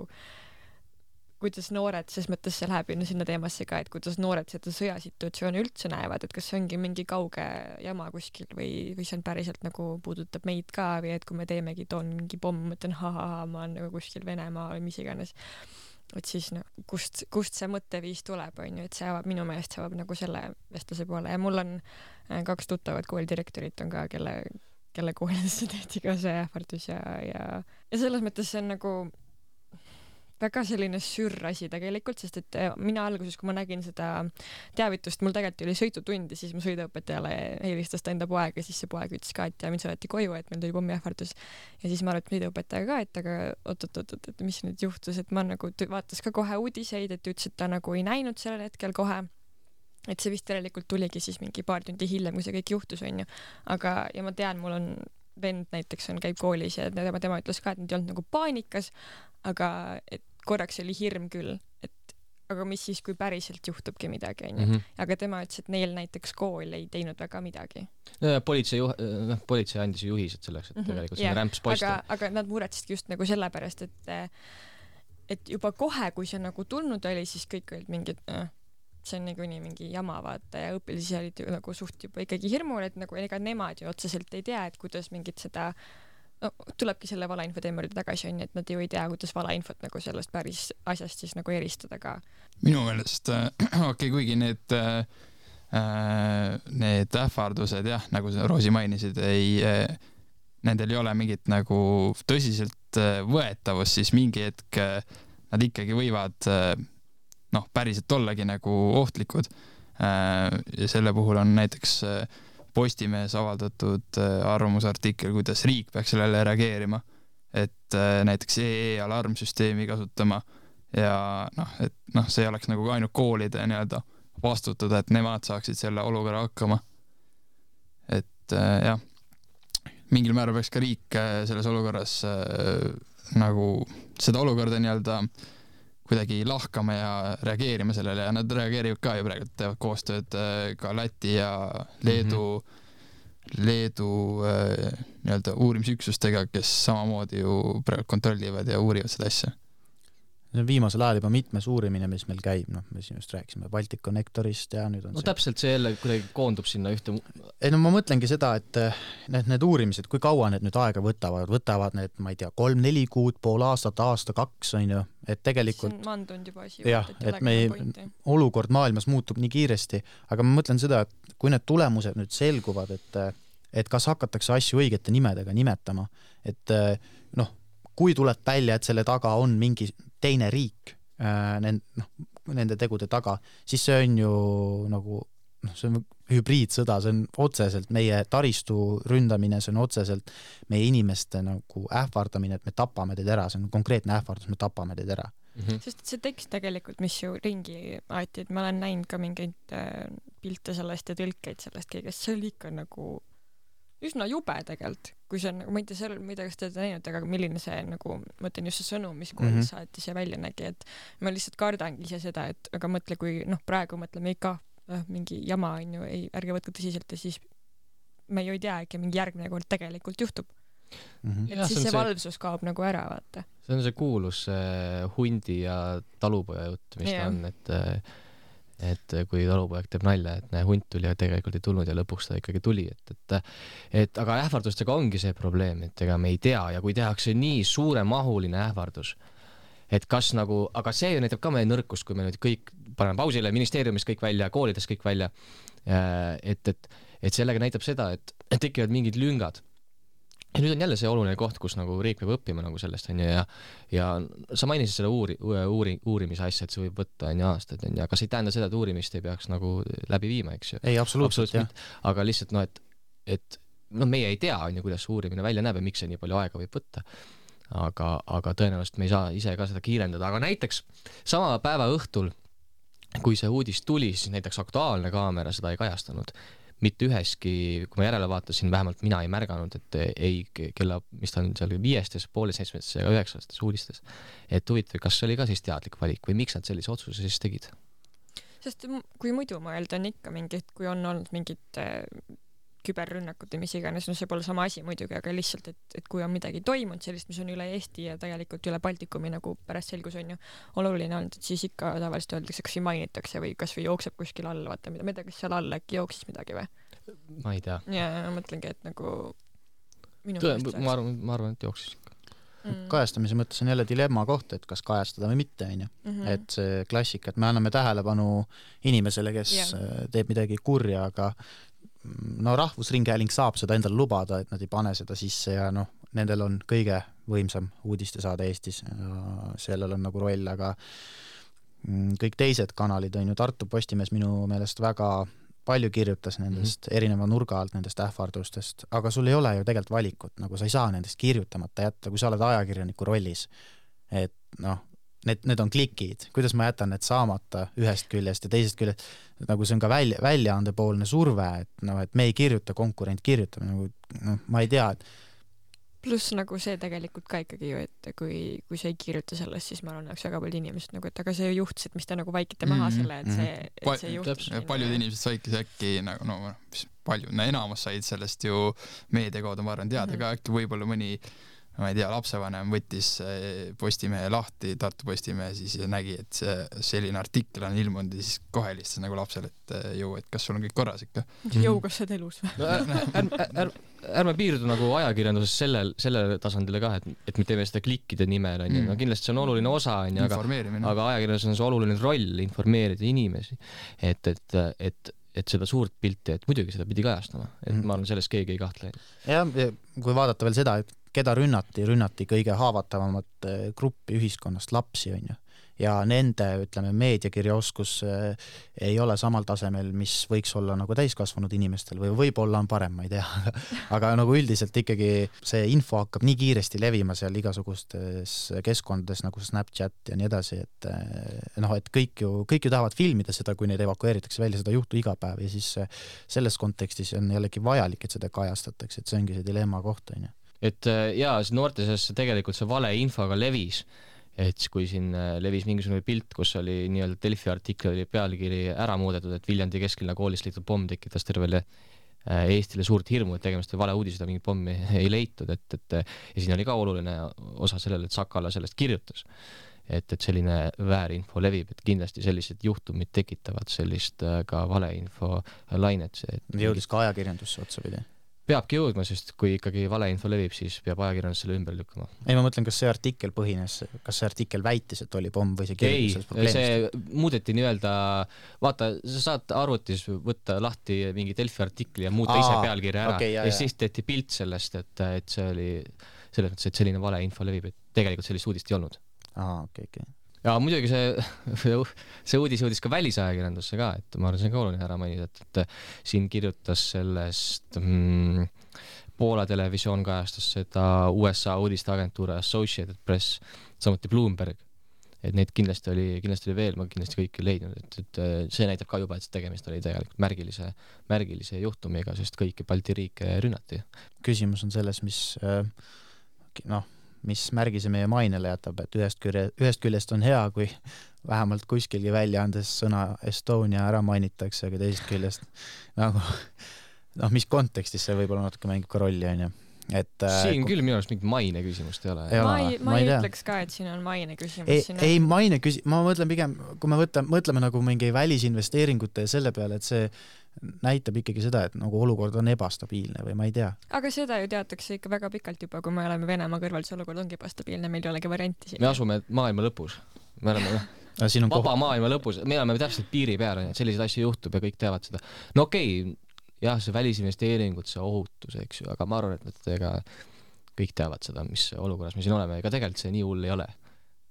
[SPEAKER 8] kuidas noored, ses mõttes see läheb sinna teemasse ka, et kuidas noored seda sõjasituatsiooni üldse näevad, et kas see ongi mingi kauge jama kuskil või, või see on päriselt nagu puudutab meid ka või et kui me teemegi toon mingi pomm, mõtlen ha-ha-ha, ma olen nagu kuskil Venemaa või mis iganes. Et siis no, kust, kust see mõtteviis tuleb, on ju, et see avab, minu meelest see avab nagu selle vestluse poole ja mul on kaks tuttavat koolidirektorit on ka, kelle, kelle koolidesse tehti ka see ähvardus ja, ja, ja selles mõttes see on nagu väga selline sürr asi tegelikult, sest et mina alguses, kui ma nägin seda teavitust, mul tegelikult oli sõitutund ja siis mu sõiduõpetajale helistas ta enda poega ja siis see poeg ütles ka, et ja mind saadeti koju, et meil tuli pommiähvardus ja siis ma arvan, et sõiduõpetaja ka, et aga oot-oot-oot, et mis nüüd juhtus, et ma nagu vaatas ka kohe uudiseid, et ütles, et ta nagu ei näinud sellel hetkel kohe, et see vist tegelikult tuligi siis mingi paar tundi hiljem, kui see kõik juhtus, on ju, aga ja ma tean, mul on vend näiteks on, käib koolis ja tema, tema ütles ka, et nad ei olnud nagu paanikas, aga et korraks oli hirm küll, et aga mis siis, kui päriselt juhtubki midagi, on ju. Mm -hmm. Aga tema ütles, et neil näiteks kool ei teinud väga midagi.
[SPEAKER 7] No, politsei, juh... no, politsei andis juhised selleks, et mm -hmm. tegelikult see rämps posti.
[SPEAKER 8] Aga, aga nad muretsid just nagu sellepärast, et et juba kohe, kui see nagu tulnud oli, siis kõik olid mingid äh, see on nagu nii mingi jama vaata ja õpilisi olid ju nagu suht juba ikkagi hirmul, et nagu ega nemad ju otseselt ei tea, et kuidas mingit seda no, tulebki selle valainfo teema juurde tagasi, on, et nad ju ei tea, kuidas valainfot nagu sellest päris asjast siis nagu eristada ka.
[SPEAKER 10] Minu meelest, äh, okei, okay, kuigi need äh, need ähvardused, jah, nagu Roosi mainisid, ei, äh, nendel ei ole mingit nagu tõsiselt äh, võetavust, siis mingi hetk äh, nad ikkagi võivad äh, noh, päriselt ollagi nagu ohtlikud. Äh, ja selle puhul on näiteks äh, Postimehes avaldatud arvamusartikkel, kuidas riik peaks sellele reageerima, et näiteks E E alarmsüsteemi kasutama ja noh, et noh, see oleks nagu ainult koolide nii-öelda vastutada, et nemad saaksid selle olukorra hakkama. Et jah, mingil määral peaks ka riik selles olukorras nagu seda olukorda nii-öelda kuidagi lahkama ja reageerima sellele ja nad reageerivad ka ju praegu, teevad koostööd ka Läti ja Leedu mm-hmm. Leedu äh, nii-öelda uurimisüksustega, kes samamoodi ju praegu kontrollivad ja uurivad seda asja.
[SPEAKER 9] See on viimasel ajal juba mitmes uurimine, mis meil käib, noh, me siin just rääkisime Baltic Connectorist ja nüüd on
[SPEAKER 7] no
[SPEAKER 9] see...
[SPEAKER 7] täpselt see jälle kuidagi koondub sinna ühte...
[SPEAKER 9] Ei, no ma mõtlengi seda, et need, need uurimised, kui kaua need nüüd aega võtavad, võtavad need, ma ei tea, kolm, neli kuud, pool aastat, aasta, kaks, on ju, et tegelikult...
[SPEAKER 8] See on mandunud juba asi.
[SPEAKER 9] Jah, et me olukord maailmas muutub nii kiiresti, aga ma mõtlen seda, et kui need tulemused nüüd selguvad, et, et kas hakatakse asju õigete nimedega nimetama, et noh, kui tuleb välja, et selle taga on mingi teine riik äh, nend, noh, nende tegude taga, siis see on ju nagu, noh, see on hübriidsõda, see on otseselt meie taristu ründamine, see on otseselt meie inimeste nagu ähvardamine, et me tapame teid ära, see on konkreetne ähvardus, me tapame teid ära.
[SPEAKER 8] Mm-hmm. Sest see tekst tegelikult, mis ju ringi aeti, et ma olen näinud ka mingeid äh, pilte sellest ja tõlkeid sellest kõigest, see oli ikka nagu üsna jube tegelikult, kui see on, ma ei tea, seal, ma ei tea, kas te olete näinud, aga milline see nagu, mõtlen just see sõnum, mis kool mm -hmm. saatis ja välja nägi, et ma lihtsalt kardangi ise seda, et aga mõtle, kui noh, praegu mõtleme ikka äh, mingi jama on ju, ei, ärge võtke tõsiselt ja siis me ju ei tea, äkki mingi järgmine kord tegelikult juhtub. Mm -hmm. Et ja, siis see, see valvsus kaob nagu ära, vaata.
[SPEAKER 7] See on see kuulus äh, hundi ja talupoja jutt, mis yeah. ta on, et äh, et kui talupoeg teeb nalja, et näe, hunt tuli ja tegelikult ei tulnud ja lõpuks ta ikkagi tuli, et, et, et aga ähvardustega ongi see probleem, et ega me ei tea ja kui tehakse nii suuremahuline ähvardus, et kas nagu, aga see ju näitab ka meie nõrkust, kui me nüüd kõik paneme pausile, ministeeriumis kõik välja, koolides kõik välja, et, et, et sellega näitab seda, et, et tekivad mingid lüngad. Ja nüüd on jälle see oluline koht, kus nagu riik peab õppima nagu sellest, on ju, ja, ja sa mainisid selle uuri, uuri, uurimise asja, et see võib võtta on ju aastaid, on ju, aga see ei tähenda seda, et uurimist ei peaks nagu läbi viima, eks ju.
[SPEAKER 9] Ei, absoluutselt, jah.
[SPEAKER 7] Aga lihtsalt, no, et, et no, meie ei tea, on ju, kuidas uurimine välja näeb ja miks see nii palju aega võib võtta. Aga, aga tõenäoliselt me ei saa ise ka seda kiirendada, aga näiteks sama päeva õhtul, kui see uudis tuli, siis näiteks Aktuaalne kaamera seda ei kajastanud. Mitte üheski, kui ma järele vaatasin, vähemalt mina ei märganud, et ei kella, mis ta on seal viiestes, poole seitsmetes ja üheksastes uudistes. Et huvitav, kas see oli ka siis teadlik valik või miks nad sellise otsuse siis tegid?
[SPEAKER 8] Sest kui muidu mõelda on ikka mingid, kui on olnud mingid küberrünnakud ja mis iganes, no see pole sama asi muidugi, aga lihtsalt, et, et kui on midagi toimunud sellist, mis on üle Eesti ja tegelikult üle Baltikumi nagu pärast selgus on ju oluline olnud, et siis ikka tavaliselt öeldakse, kas või mainitakse või kas või jookseb kuskil all, vaata, mida, mida, kas seal all äkki jooksis midagi või?
[SPEAKER 7] Ma ei tea.
[SPEAKER 8] Ja ma mõtlengi, et nagu minu
[SPEAKER 7] Tõe, ma, arvan, ma arvan, et jooksis ikka.
[SPEAKER 9] Mm. Kajastamise mõttes on jälle dilemma koht, et kas kajastada või mitte, on ju. Mm-hmm. Et see klassika, et me anname tähelepanu inimesele, kes yeah. teeb midagi kurja, aga no Rahvusringhääling saab seda endale lubada, et nad ei pane seda sisse ja noh, nendel on kõige võimsam uudistesaade Eestis ja sellel on nagu roll, aga kõik teised kanalid on ju, Tartu Postimees minu meelest väga palju kirjutas nendest mm-hmm. erineva nurga alt nendest ähvardustest, aga sul ei ole ju tegelikult valikut, nagu sa ei saa nendest kirjutamata jätta, kui sa oled ajakirjaniku rollis, et noh, Need, need on klikid, kuidas ma jätan need saamata ühest küljest ja teisest küljest, nagu see on ka välja, väljaandepoolne surve, et, no, et me ei kirjuta, konkurent kirjutab, nagu, no, ma ei tea, et
[SPEAKER 8] pluss nagu see tegelikult ka ikkagi ju, et kui, kui sa ei kirjuta sellest, siis ma arvan, et väga palju inimesed nagu, et aga see juhtis, et mis te nagu vaikite maha mm-hmm. selle, et see, et see juhtis.
[SPEAKER 10] Paljud inimesed saidki äkki nagu, no palju, no enamus said sellest ju meediakaudu, ma arvan, teada mm-hmm. ka äkki võib-olla mõni ma ei tea, lapsevanem võttis Postimehe lahti, Tartu Postimehe siis ja nägi, et see, selline artikkel on ilmunud ja siis kohe lihtsalt nagu lapsele, et jõu, et kas sul on kõik korras ikka?
[SPEAKER 8] Jõu, kas sa oled elus või?
[SPEAKER 7] No, ärme är, är, är, är piirdu nagu ajakirjanduses sellel, sellele tasandile ka, et, et me teeme seda klikkide nimel, on ju. No kindlasti see on oluline osa, on ju, aga, aga ajakirjanduses on see oluline roll informeerida inimesi, et, et, et et seda suurt pilti, et muidugi seda pidi kajastama, et ma arvan, sellest keegi ei kahtle.
[SPEAKER 9] Ja, kui vaadata veel seda, et keda rünnati, rünnati kõige haavatavamat gruppi ühiskonnast, lapsi on ju. Ja nende, ütleme, meediakirjaoskus ei ole samal tasemel, mis võiks olla nagu täiskasvanud inimestel või võib-olla on parem, ma ei tea. Aga nagu üldiselt ikkagi see info hakkab nii kiiresti levima seal igasugustes keskkondades nagu Snapchat ja nii edasi, et noh, et kõik ju, kõik ju tahavad filmida seda, kui neid evakueeritakse välja, seda juhtu iga päev ja siis selles kontekstis on jällegi vajalik, et seda kajastatakse, et see ongi see dilemma koht, on ju.
[SPEAKER 7] Et jaa, noorte seas tegelikult see vale infoga levis, et kui siin levis mingisugune pilt, kus oli nii-öelda Delfi artikkel oli pealkiri ära muudetud, et Viljandi kesklinna koolis leitud pomm tekitas tervele Eestile suurt hirmu, et tegemist oli vale uudis, seda mingit pommi ei leitud, et, et ja siin oli ka oluline osa sellele, et Sakala sellest kirjutas, et, et selline väärinfo levib, et kindlasti sellised juhtumid tekitavad sellist ka valeinfo lainet.
[SPEAKER 9] Jõudis ka ajakirjandusse otsapidi?
[SPEAKER 7] Peabki jõudma, sest kui ikkagi valeinfo levib, siis peab ajakirjandus selle ümber lükkama.
[SPEAKER 9] Ei, ma mõtlen, kas see artikkel põhines, kas see artikkel väitis, et oli pomm või see kirjutas
[SPEAKER 7] probleemist? Ei, see muudeti nii-öelda, vaata, sa saad arvutis võtta lahti mingi Delfi artikli ja muuta Aa, ise pealkirja ära okay, ja, ja siis tehti pilt sellest, et, et see oli selles mõttes, et selline valeinfo levib, et tegelikult sellist uudist ei olnud.
[SPEAKER 9] Aa, okei, okay, okei. Okay.
[SPEAKER 7] Ja muidugi see, see uudis jõudis ka välisajakirjandusse ka, et ma arvan, see on ka oluline ära mainida, et, et siin kirjutas sellest mm, Poola televisioon kajastas seda U S A uudisteagentuuri Associated Press, samuti Bloomberg, et neid kindlasti oli, kindlasti oli veel, ma kindlasti kõik ei leidnud, et, et see näitab ka juba, et tegemist oli tegelikult märgilise, märgilise juhtumiga, sest kõiki Balti riike rünnati.
[SPEAKER 9] Küsimus on selles, mis noh, mis märgise meie mainele jätab, et ühest, külje, ühest küljest on hea, kui vähemalt kuskilgi välja andes sõna Estonia ära mainitakse, aga teisest küljest nagu, noh, mis kontekstis see võib-olla natuke mängib ka rolli, on ju. Et,
[SPEAKER 7] siin kui... küll minu arust mingit maine küsimust ei ole.
[SPEAKER 8] Ja, ma ei, ma ei, ei ütleks ka, et siin on maine küsimus.
[SPEAKER 9] Ei,
[SPEAKER 8] siin
[SPEAKER 9] ei on... maine küsimus, ma mõtlen pigem, kui me võtame, mõtleme nagu mingi välisinvesteeringute ja selle peale, et see näitab ikkagi seda, et nagu olukord on ebastabiilne või ma ei tea.
[SPEAKER 8] Aga seda ju teatakse ikka väga pikalt juba, kui me oleme Venemaa kõrval, see olukord ongi ebastabiilne, meil ei olegi varianti siin.
[SPEAKER 7] Me asume maailma lõpus. Me oleme vaba koht... maailma lõpus, me oleme täpselt piiri peal, et selliseid asju juhtub ja kõik teavad seda. No okei, okay, jah, see välisinvesteeringud, see ohutus, eks ju, aga ma arvan, et nad ega kõik teavad seda, mis olukorras me siin oleme, ega tegelikult see nii hull ei ole.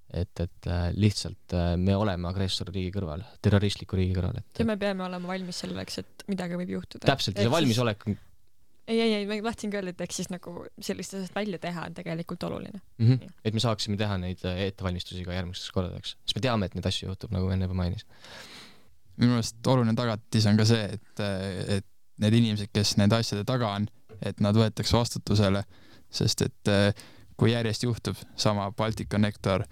[SPEAKER 7] Et, et lihtsalt me oleme agressorriigi kõrval, terroristliku riigi kõrval. Et...
[SPEAKER 8] ja me peame olema valmis selleks, et midagi võib juhtuda.
[SPEAKER 7] Täpselt, see valmisolek on...
[SPEAKER 8] Ei, ei, ei, ma tahtsin ka öelda, et eks siis nagu sellist asjast välja teha on tegelikult oluline.
[SPEAKER 7] Mm-hmm. Et me saaksime teha neid ettevalmistusi ka järgmisteks kordadeks. Sest me teame, et neid asju juhtub, nagu enne juba mainis.
[SPEAKER 10] Minu meelest oluline tagatis on ka see, et, et need inimesed, kes nende asjade taga on, et nad võetakse vastutusele, sest et kui järjest juhtub sama Balticconnector,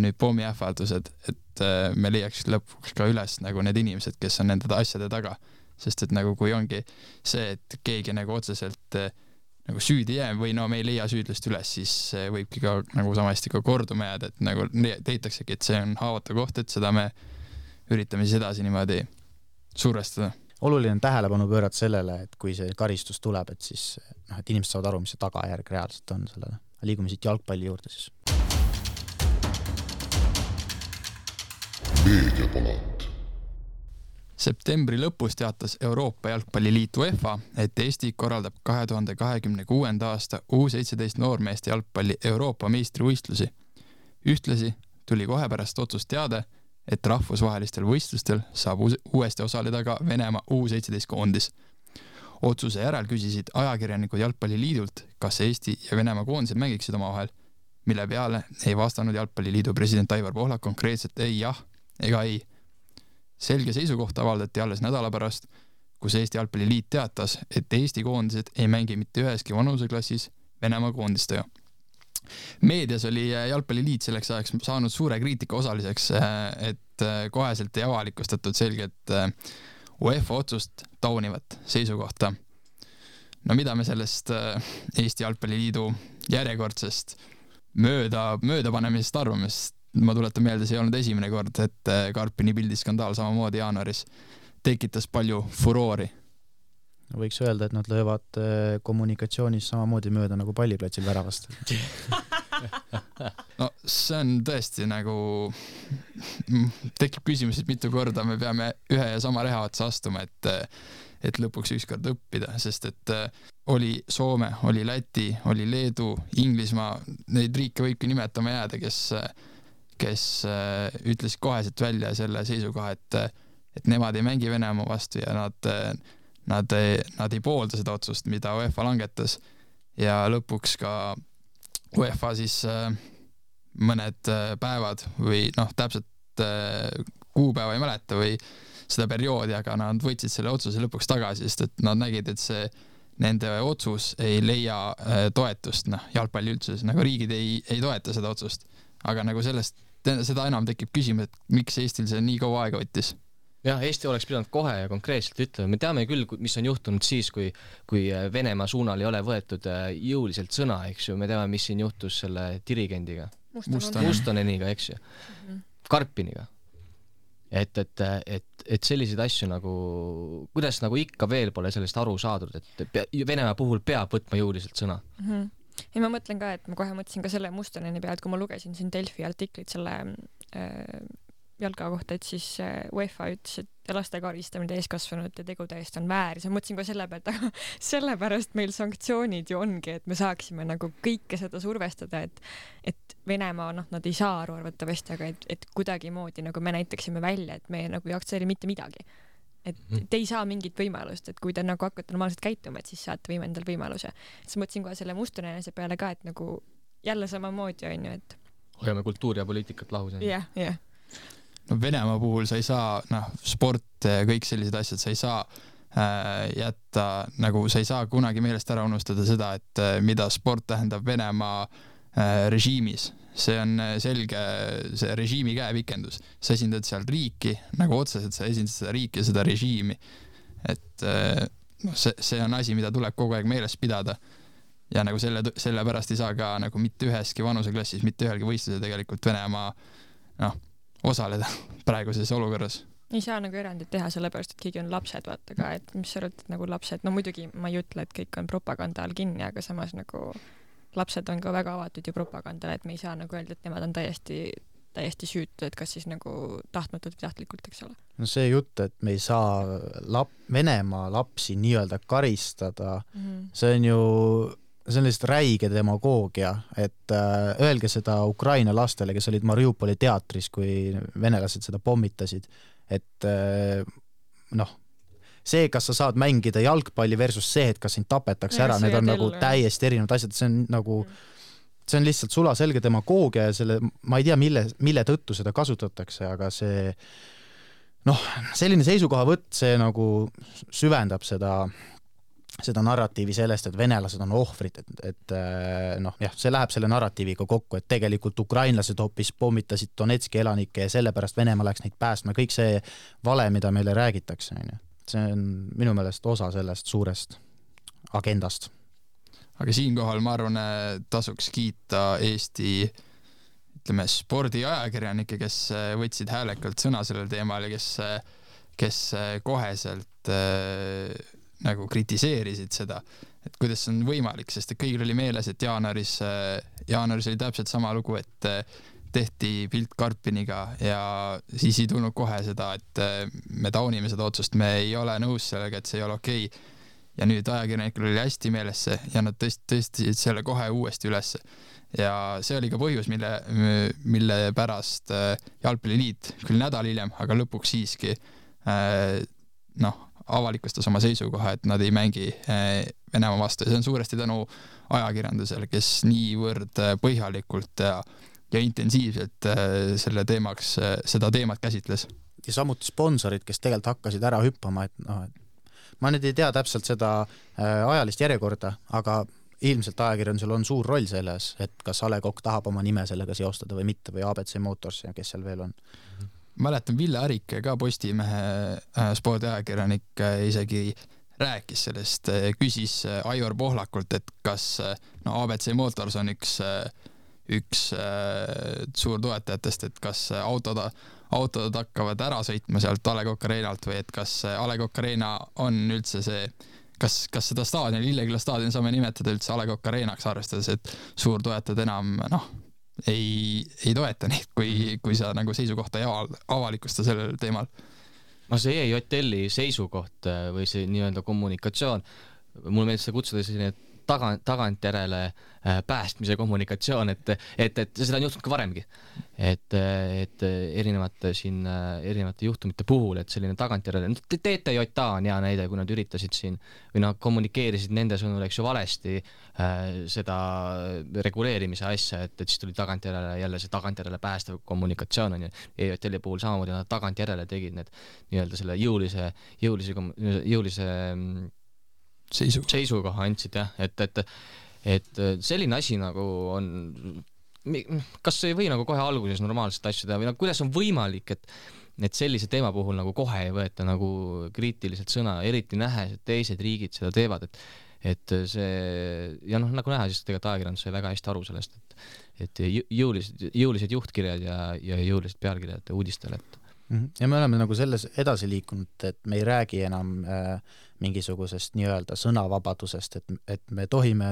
[SPEAKER 10] nüüd pommiähvaldused, et me leiaks lõpuks ka üles nagu need inimesed, kes on nende asjade taga. Sest et nagu kui ongi see, et keegi nagu otseselt nagu süüdi jää või no me ei leia süüdlust üles, siis võibki ka nagu samasti ka korduma jääda, et nagu teitaksegi, et see on haavatav koht, et seda me üritame siis edasi niimoodi survestada.
[SPEAKER 9] Oluline on tähelepanu pöörata sellele, et kui see karistus tuleb, et siis noh, et inimesed saavad aru, mis see tagajärg reaalselt on sellele. Liigume siit jalgpalli juurde siis.
[SPEAKER 5] Meediapalat.
[SPEAKER 10] Septembri lõpus teatas Euroopa Jalgpalliliit UEFA, et Eesti korraldab kahe tuhande kahekümne kuuenda aasta U seitseteist noormeeste jalgpalli Euroopa meistrivõistlusi. Ühtlasi tuli kohe pärast otsust teade, et rahvusvahelistel võistlustel saab uuesti osaleda ka Venemaa U seitseteist koondis. Otsuse järel küsisid ajakirjanikud Jalgpalliliidult, kas Eesti ja Venemaa koondised mängiksid omavahel, mille peale ei vastanud Jalgpalliliidu president Aivar Pohlak konkreetselt ei jah ega ei. Selge seisukoht avaldati alles nädala pärast, kus Eesti Jalgpalliliit teatas, et Eesti koondised ei mängi mitte üheski vanuseklassis Venemaa koondistega. Meedias oli Jalgpalliliit selleks ajaks saanud suure kriitika osaliseks, et koheselt ei avalikustatud selget UEFA otsust taunivat seisukohta. No mida me sellest Eesti Jalgpalliliidu järjekordsest mööda, möödapanemisest arvamist? Ma tuletan meelde, see ei olnud esimene kord, et Karpini pildiskandaal samamoodi jaanuaris tekitas palju furoori.
[SPEAKER 9] Võiks öelda, et nad löövad kommunikatsioonis samamoodi mööda nagu palliplatsil väravast.
[SPEAKER 10] No see on tõesti nagu tekib küsimus, et mitu korda me peame ühe ja sama reha otsa astuma, et, et lõpuks ükskord õppida, sest et oli Soome, oli Läti, oli Leedu, Inglismaa, neid riike võibki nimetama jääda, kes kes ütles koheselt välja selle seisukoha, et, et nemad ei mängi Venemaa vastu ja nad, nad, nad ei poolda seda otsust, mida UEFA langetas ja lõpuks ka UEFA siis mõned päevad või noh, täpselt kuupäeva ei mäleta või seda perioodi, aga nad võtsid selle otsuse lõpuks tagasi, sest et nad nägid, et see nende otsus ei leia toetust, noh, jalgpalli üldses, nagu riigid ei, ei toeta seda otsust, aga nagu sellest seda enam tekib küsimus, et miks Eestil see nii kaua aega võttis?
[SPEAKER 7] Jah, Eesti oleks pidanud kohe ja konkreetselt ütlema. Me teame küll, mis on juhtunud siis, kui, kui Venemaa suunal ei ole võetud jõuliselt sõna, eks ju. Me teame, mis siin juhtus selle dirigendiga.
[SPEAKER 8] Mustonen.
[SPEAKER 7] Mustoneniga, eks ju. Mm-hmm. Karpiniga. Et, et, et, et selliseid asju nagu, kuidas nagu ikka veel pole sellest aru saadud, et Venemaa puhul peab võtma jõuliselt sõna.
[SPEAKER 8] Mm-hmm. Ja ma mõtlen ka, et ma kohe mõtlesin ka selle Mustoneni pealt, kui ma lugesin siin Delfi artiklit selle äh, jalga kohta, et siis äh, UEFA ütles, et laste karistamine täiskasvanute tegude eest on väär. Ja ma mõtlesin ka selle pealt, aga sellepärast meil sanktsioonid ju ongi, et me saaksime nagu kõike seda survestada, et, et Venemaa, noh, nad ei saa aru arvatavasti, aga et, et kuidagi moodi nagu me näitaksime välja, et me nagu ei aktsepteeri mitte midagi. Et te ei saa mingit võimalust, et kui te nagu hakkate normaalselt käituma, et siis saate võime endal võimaluse. Siis mõtlesin kohe selle Mustonenese peale ka, et nagu jälle samamoodi on ju, et
[SPEAKER 7] hoiame kultuuri ja poliitikat lahus.
[SPEAKER 8] Jah, jah.
[SPEAKER 10] No Venemaa puhul sa ei saa, noh, sport, kõik sellised asjad, sa ei saa äh, jätta, nagu sa ei saa kunagi meelest ära unustada seda, et äh, mida sport tähendab Venemaa äh, režiimis. See on selge see režiimi käepikendus. Sa esindad seal riiki, nagu otseselt sa esindad seda riiki ja seda režiimi. Et no, see, see on asi, mida tuleb kogu aeg meeles pidada. Ja nagu selle, selle pärast ei saa ka nagu mitte üheski vanuseklassis, mitte ühelgi võistluse tegelikult Venemaa no, osaleda praeguses olukorras.
[SPEAKER 8] Ei saa nagu erandit teha sellepärast, et keegi on lapsed, vaata ka, et mis sa arvad, et nagu lapsed, no muidugi ma ei ütle, et kõik on propaganda all kinni, aga samas nagu lapsed on ka väga avatud ju propagandale, et me ei saa nagu öelda, et nemad on täiesti täiesti süütu, et kas siis nagu tahtmatult või tahtlikult, eks ole.
[SPEAKER 9] No see jutt, et me ei saa lap, Venemaa lapsi nii-öelda karistada, mm-hmm. see on ju see on lihtsalt räige demagoogia, et äh, öelge seda Ukraina lastele, kes olid Mariupoli teatris, kui venelased seda pommitasid, et äh, noh, see, kas sa saad mängida jalgpalli versus see, et kas sind tapetakse ja, ära, need on nagu täiesti erinevad asjad, see on nagu see on lihtsalt sulaselge demagoogia ja selle, ma ei tea, mille, mille tõttu seda kasutatakse, aga see noh, selline seisukohavõtt, see nagu süvendab seda seda narratiivi sellest, et venelased on ohvrid, et, et noh, jah, see läheb selle narratiiviga kokku, et tegelikult ukrainlased hoopis pommitasid Donetski elanikke ja sellepärast Venemaa läks neid päästma, kõik see vale, mida meile räägitakse, see on minu meelest osa sellest suurest agendast.
[SPEAKER 10] Aga siinkohal ma arvan, tasuks kiita Eesti ütleme, spordiajakirjanikke, kes võtsid häälekalt sõna sellel teemal ja kes, kes koheselt nagu kritiseerisid seda, et kuidas on võimalik, sest et kõigil oli meeles, et jaanuaris, jaanuaris oli täpselt sama lugu, et tehti pilt Karpiniga ja siis ei tulnud kohe seda, et me taunime seda otsust, me ei ole nõus sellega, et see ei ole okei. Ja nüüd ajakirjanikul oli hästi meeles see ja nad tõst, tõstisid selle kohe uuesti üles. Ja see oli ka põhjus, mille, mille pärast Jalgpalliliit küll nädal hiljem, aga lõpuks siiski noh, avalikustas oma seisukoha, et nad ei mängi Venemaa vastu ja see on suuresti tänu ajakirjandusele, kes niivõrd põhjalikult ja, ja intensiivselt selle teemaks, seda teemat käsitles.
[SPEAKER 9] Ja samuti sponsorid, kes tegelikult hakkasid ära hüppama, et noh, et ma nüüd ei tea täpselt seda ajalist järjekorda, aga ilmselt ajakirjandusel on suur roll selles, et kas A Le Coq tahab oma nime sellega seostada või mitte või A B C Motors ja kes seal veel on.
[SPEAKER 10] Mäletan, Ville Ärik ka Postimehe spordiajakirjanik isegi rääkis sellest, küsis Aivar Pohlakult, et kas no, A B C Motors on üks, üks suur toetajatest, et kas autod, autod hakkavad ära sõitma sealt A Le Coq Arenalt või et kas A Le Coq Arena on üldse see, kas, kas seda staadion, Lilleküla staadion saame nimetada üldse A Le Coq Arenaks, arvestades, et suur toetajad enam noh, ei, ei toeta neid, kui, kui sa nagu seisukohta ei avalikusta sellel teemal.
[SPEAKER 7] No see E J L-i seisukoht või see nii-öelda kommunikatsioon, mul meeldis seda kutsuda selline taga, tagantjärele päästmise kommunikatsioon, et, et, et seda on juhtunud ka varemgi. Et, et erinevate, siin, erinevate juhtumite puhul, et selline tagantjärele, T T J on hea näide, kui nad üritasid siin või nad kommunikeerisid nende sõnul, eks ju valesti äh, seda reguleerimise asja, et, et siis tuli tagantjärele jälle see tagantjärele päästav kommunikatsioon on ju. E J L-i puhul samamoodi nad tagantjärele tegid need nii-öelda selle jõulise, jõulise, jõulise
[SPEAKER 10] Seisu.
[SPEAKER 7] seisukoha andsid, jah, et, et, et selline asi nagu on, kas ei või nagu kohe alguses normaalselt asju teha või nagu, kuidas on võimalik, et, et sellise teema puhul nagu kohe ei võeta nagu kriitiliselt sõna, eriti nähes, et teised riigid seda teevad, et, et see, ja noh, nagu näha, siis tegelikult ajakirjandus sai väga hästi aru sellest, et, et jõulised, jõulised juhtkirjad ja, ja jõulised pealkirjad uudistele, et
[SPEAKER 9] ja me oleme nagu selles edasi liikunud, et me ei räägi enam äh, mingisugusest nii-öelda sõnavabadusest, et, et me tohime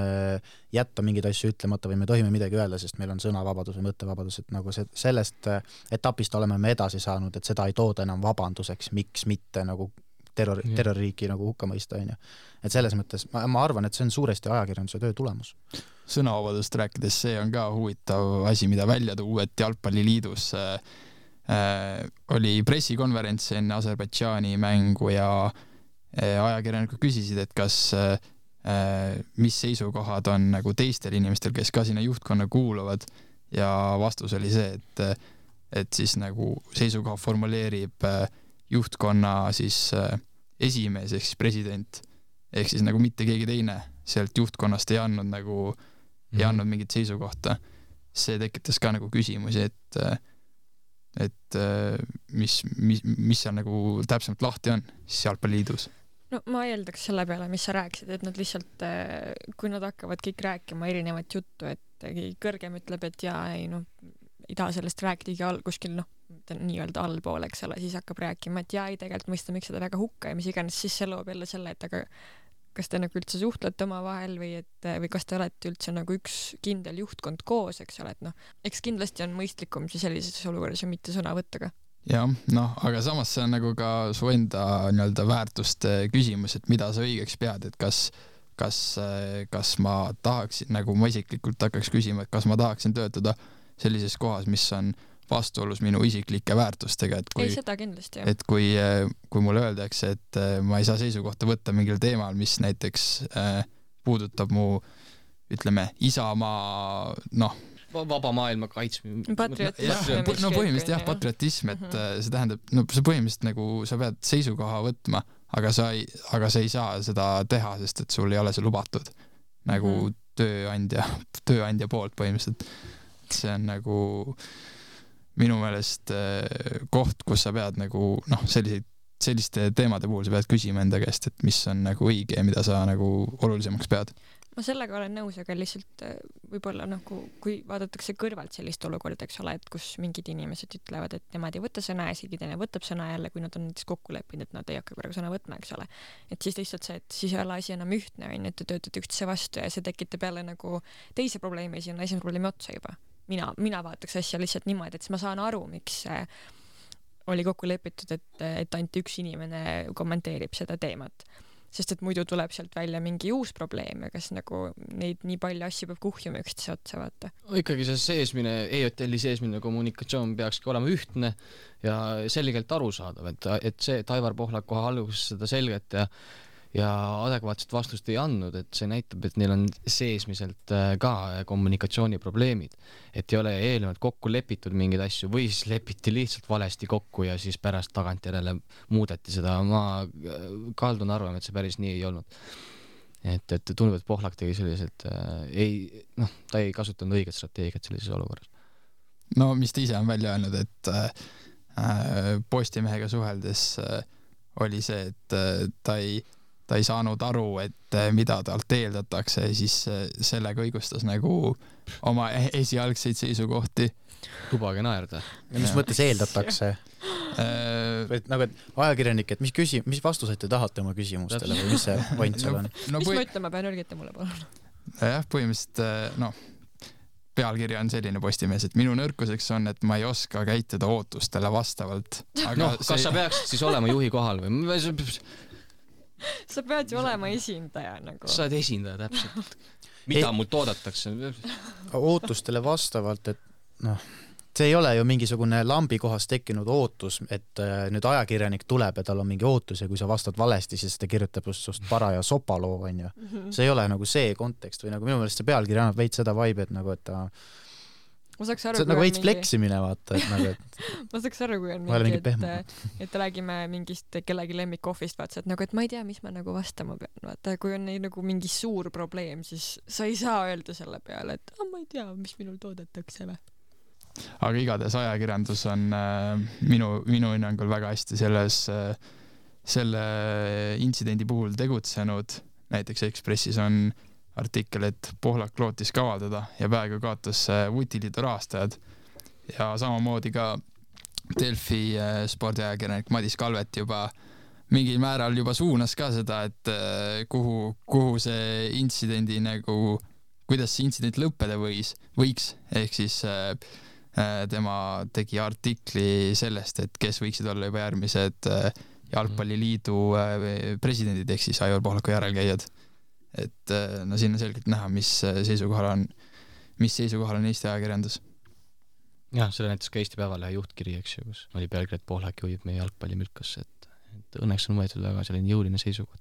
[SPEAKER 9] jätta mingeid asju ütlemata või me tohime midagi öelda, sest meil on sõnavabadus või mõttevabadus, et nagu see, sellest etapist oleme me edasi saanud, et seda ei tooda enam vabanduseks, miks mitte nagu terror, terroririiki nagu hukka mõista, on ju. Et selles mõttes ma, ma arvan, et see on suuresti ajakirjanduse töö tulemus.
[SPEAKER 10] Sõnavabadust rääkides, see on ka huvitav asi, mida välja tuua, et Jalgpalliliidus äh, Äh, oli pressikonverents enne Aserbaidžaani mängu ja äh, ajakirjanikud küsisid, et kas äh, mis seisukohad on nagu teistel inimestel, kes ka sinna juhtkonna kuuluvad ja vastus oli see, et, et siis nagu seisukoha formuleerib äh, juhtkonna siis äh, esimees ehk siis president ehk siis nagu mitte keegi teine sealt juhtkonnast ei andnud nagu mm-hmm. ei andnud mingit seisukohta. See tekitas ka nagu küsimusi, et äh, et mis, mis, mis seal nagu täpsemalt lahti on siis Jalgpalliliidus?
[SPEAKER 8] No ma eeldaks selle peale, mis sa rääkisid, et nad lihtsalt, kui nad hakkavad kõik rääkima erinevat juttu, et kõrgem ütleb, et jaa, ei noh, ei taha sellest rääkidagi all, kuskil noh, nii-öelda allpool, eks ole, siis hakkab rääkima, et jaa, ei tegelikult mõista, miks seda väga hukka ja mis iganes, siis see loob jälle selle, et aga kas te nagu üldse suhtlete oma vahel või et, või kas te olete üldse nagu üks kindel juhtkond koos, eks ole, et noh, eks kindlasti on mõistlikum siis sellises olukorras ju mitte sõna võtta ka.
[SPEAKER 10] jah, noh, aga samas see on nagu ka su enda nii-öelda väärtuste küsimus, et mida sa õigeks pead, et kas, kas, kas ma tahaksin, nagu ma isiklikult hakkaks küsima, et kas ma tahaksin töötada sellises kohas, mis on vastuolus minu isiklike väärtustega, et kui,
[SPEAKER 8] ei, seda kindlasti, jah.
[SPEAKER 10] et kui, kui mulle öeldakse, et ma ei saa seisukohta võtta mingil teemal, mis näiteks äh, puudutab mu, ütleme, isamaa, noh,
[SPEAKER 7] vaba maailma kaitsmine.
[SPEAKER 8] Patriotism.
[SPEAKER 10] No põhimõtteliselt jah, patriotism, et mm-hmm. see tähendab, no see põhimõtteliselt nagu sa pead seisukoha võtma, aga sa ei, aga sa ei saa seda teha, sest et sul ei ole see lubatud nagu mm-hmm. tööandja, tööandja poolt põhimõtteliselt. See on nagu minu meelest koht, kus sa pead nagu, noh, selliseid, selliste teemade puhul sa pead küsima enda käest, et mis on nagu õige ja mida sa nagu olulisemaks pead.
[SPEAKER 8] Ma sellega olen nõus, aga lihtsalt võib-olla nagu, kui vaadatakse kõrvalt sellist olukorda, eks ole, et kus mingid inimesed ütlevad, et nemad ei võta sõna ja isegi teine võtab sõna jälle, kui nad on näiteks kokku leppinud, et nad ei hakka praegu sõna võtma, eks ole. Et siis lihtsalt see, et siis ei ole asi enam ühtne, on, et te töötate üksteise vastu ja see tekitab jälle nagu teise probleemi, siis on esimene probleemi otsa juba. Mina, mina vaataks asja lihtsalt niimoodi, et siis ma saan aru, miks oli kokku lepitud, et, et ainult üks inimene kommenteerib seda teemat. Sest et muidu tuleb sealt välja mingi uus probleem ja kas nagu neid nii palju asju peab kuhjuma üksteise otsa vaata.
[SPEAKER 7] Ikkagi see seesmine, E-hotelli seesmine kommunikatsioon peakski olema ühtne ja selgelt arusaadav, et, et see, et Aivar Pohlak kohe alguses seda selget ja ja adekvaatset vastust ei andnud, et see näitab, et neil on seesmiselt ka kommunikatsiooniprobleemid, et ei ole eelnevalt kokku lepitud mingeid asju või siis lepiti lihtsalt valesti kokku ja siis pärast tagantjärele muudeti seda. Ma kaldun arvama, et see päris nii ei olnud. Et, et tundub, et Pohlak tegi selliselt, äh, ei, noh, ta ei kasutanud õiget strateegiat sellises olukorras.
[SPEAKER 10] No mis ta ise on välja öelnud, et äh, Postimehega suheldes äh, oli see, et äh, ta ei ta ei saanud aru, et mida talt eeldatakse ja siis sellega õigustas nagu oma esialgseid seisukohti.
[SPEAKER 7] Lubage naerda.
[SPEAKER 9] Ja mis mõttes eeldatakse? Et, nagu, et ajakirjanik, et mis, küsi, mis vastuseid te tahate oma küsimustele või mis see point seal on?
[SPEAKER 8] No, no, mis ma ütlen, ma pean ülgita mulle palun?
[SPEAKER 10] Jah, põhimõtteliselt, no, pealkirja on selline Postimees, et minu nõrkuseks on, et ma ei oska käituda ootustele vastavalt.
[SPEAKER 7] Aga no, kas see... sa peaksid siis olema juhi kohal või?
[SPEAKER 8] Sa pead ju olema esindaja nagu.
[SPEAKER 7] Sa oled esindaja täpselt. Mida ei, mult oodatakse?
[SPEAKER 9] Ootustele vastavalt, et noh, see ei ole ju mingisugune lambi kohas tekkinud ootus, et nüüd ajakirjanik tuleb ja tal on mingi ootus ja kui sa vastad valesti, siis ta kirjutab just sust paraja sopaloo, on ju. See ei ole nagu see kontekst või nagu minu meelest see pealkiri annab veits seda vibe, et nagu, et ta
[SPEAKER 8] ma saaks aru,
[SPEAKER 9] see on nagu veits mingi... fleksimine, vaata, et nagu, et
[SPEAKER 8] ma saaks aru, kui on mingi, et, et räägime mingist kellegi lemmikohvist, vaata, et nagu, et ma ei tea, mis ma nagu vastama pean, vaata, kui on nagu mingi suur probleem, siis sa ei saa öelda selle peale, et ah, ma ei tea, mis minul toodetakse või.
[SPEAKER 10] Aga igatahes ajakirjandus on äh, minu, minu hinnangul väga hästi selles, äh, selle intsidendi puhul tegutsenud, näiteks Ekspressis on artikkel, et Pohlak lootis kavaldada ja peaaegu kaotas Vutiliidu rahastajad ja samamoodi ka Delfi spordiajakirjanik Madis Kalvet juba mingil määral juba suunas ka seda, et kuhu, kuhu see intsidendi nagu, kuidas see intsident lõppeda võis, võiks, ehk siis äh, tema tegi artikli sellest, et kes võiksid olla juba järgmised äh, jalgpalliliidu äh, presidendid, ehk siis Aivar Pohlaku järelkäijad. Et no siin on selgelt näha, mis seisukohal on, mis seisukohal on Eesti ajakirjandus.
[SPEAKER 7] Jah, selle näitas ka Eesti Päevalehe juhtkiri, eks ju, kus oli pealkiri, et Pohlak juhib meie jalgpallimülkasse, et, et õnneks on võetud väga selline jõuline seisukoht.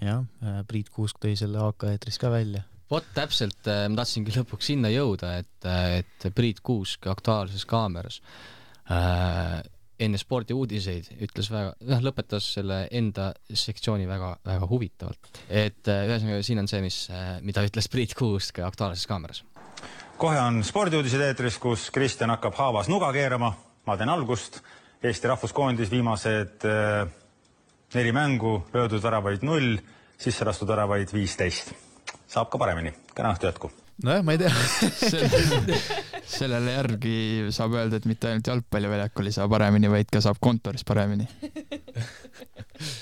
[SPEAKER 9] Jah, Priit Kuusk tõi selle A K eetris ka välja.
[SPEAKER 7] Vot täpselt, ma tahtsingi lõpuks sinna jõuda, et, et Priit Kuusk Aktuaalses Kaameras äh, enne spordi uudiseid ütles väga, noh, lõpetas selle enda sektsiooni väga, väga huvitavalt. Et ühesõnaga siin on see, mis, mida ütles Priit Kuusk Aktuaalses Kaameras.
[SPEAKER 6] Kohe on spordiuudised eetris, kus Kristjan hakkab haavas nuga keerama. Ma teen algust. Eesti rahvuskoondis viimased äh, neli mängu, löödud väravaid null, sisse lastud väravaid viisteist. Saab ka paremini. Kena õhtu jätku.
[SPEAKER 9] Nojah, ma ei tea.
[SPEAKER 10] Selle, sellele järgi saab öelda, et mitte ainult jalgpalliväljakul ei saa paremini, vaid ka saab kontoris paremini.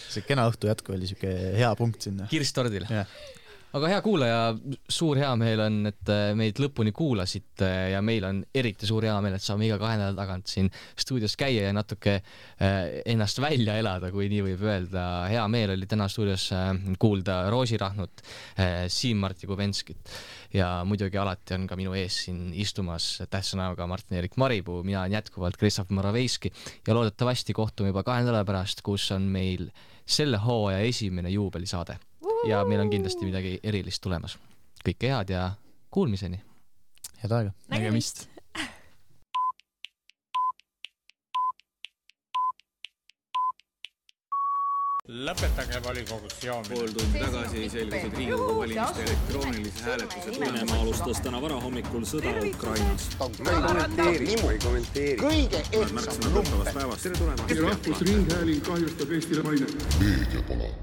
[SPEAKER 9] see kena õhtu jätku oli siuke hea punkt sinna.
[SPEAKER 7] Kirstordil.
[SPEAKER 9] Yeah.
[SPEAKER 7] Aga hea kuulaja, suur hea meel on, et meid lõpuni kuulasid ja meil on eriti suur hea meel, et saame iga kahe nädala tagant siin stuudios käia ja natuke ennast välja elada, kui nii võib öelda. Hea meel oli täna stuudios kuulda Roosi Rahnut, Siim-Marti Kubenskit ja muidugi alati on ka minu ees siin istumas tähtsa näoga Martin-Erik Maripuu, mina on jätkuvalt Kristoffer Moraveiski ja loodetavasti kohtume juba kahe nädala pärast, kus on meil selle hooaja esimene juubelisaade. Ja meil on kindlasti midagi erilist tulemas. Kõike head ja kuulmiseni.
[SPEAKER 9] Head aega.
[SPEAKER 8] Nägemist.
[SPEAKER 1] Lõpetage volikogus joomine.
[SPEAKER 2] Pool tundi tagasi selgus, et Riigikogu valimiste elektroonilise hääletuse
[SPEAKER 3] Venemaa alustas täna varahommikul sõda Ukrainas.
[SPEAKER 4] Ma ei kommenteeri, ma ei kommenteeri. Kõige ehtsam lumpen.
[SPEAKER 2] päevast. Tere tulemast.
[SPEAKER 5] Rahvusringhääling kahjustab Eestile maine. Meediapala.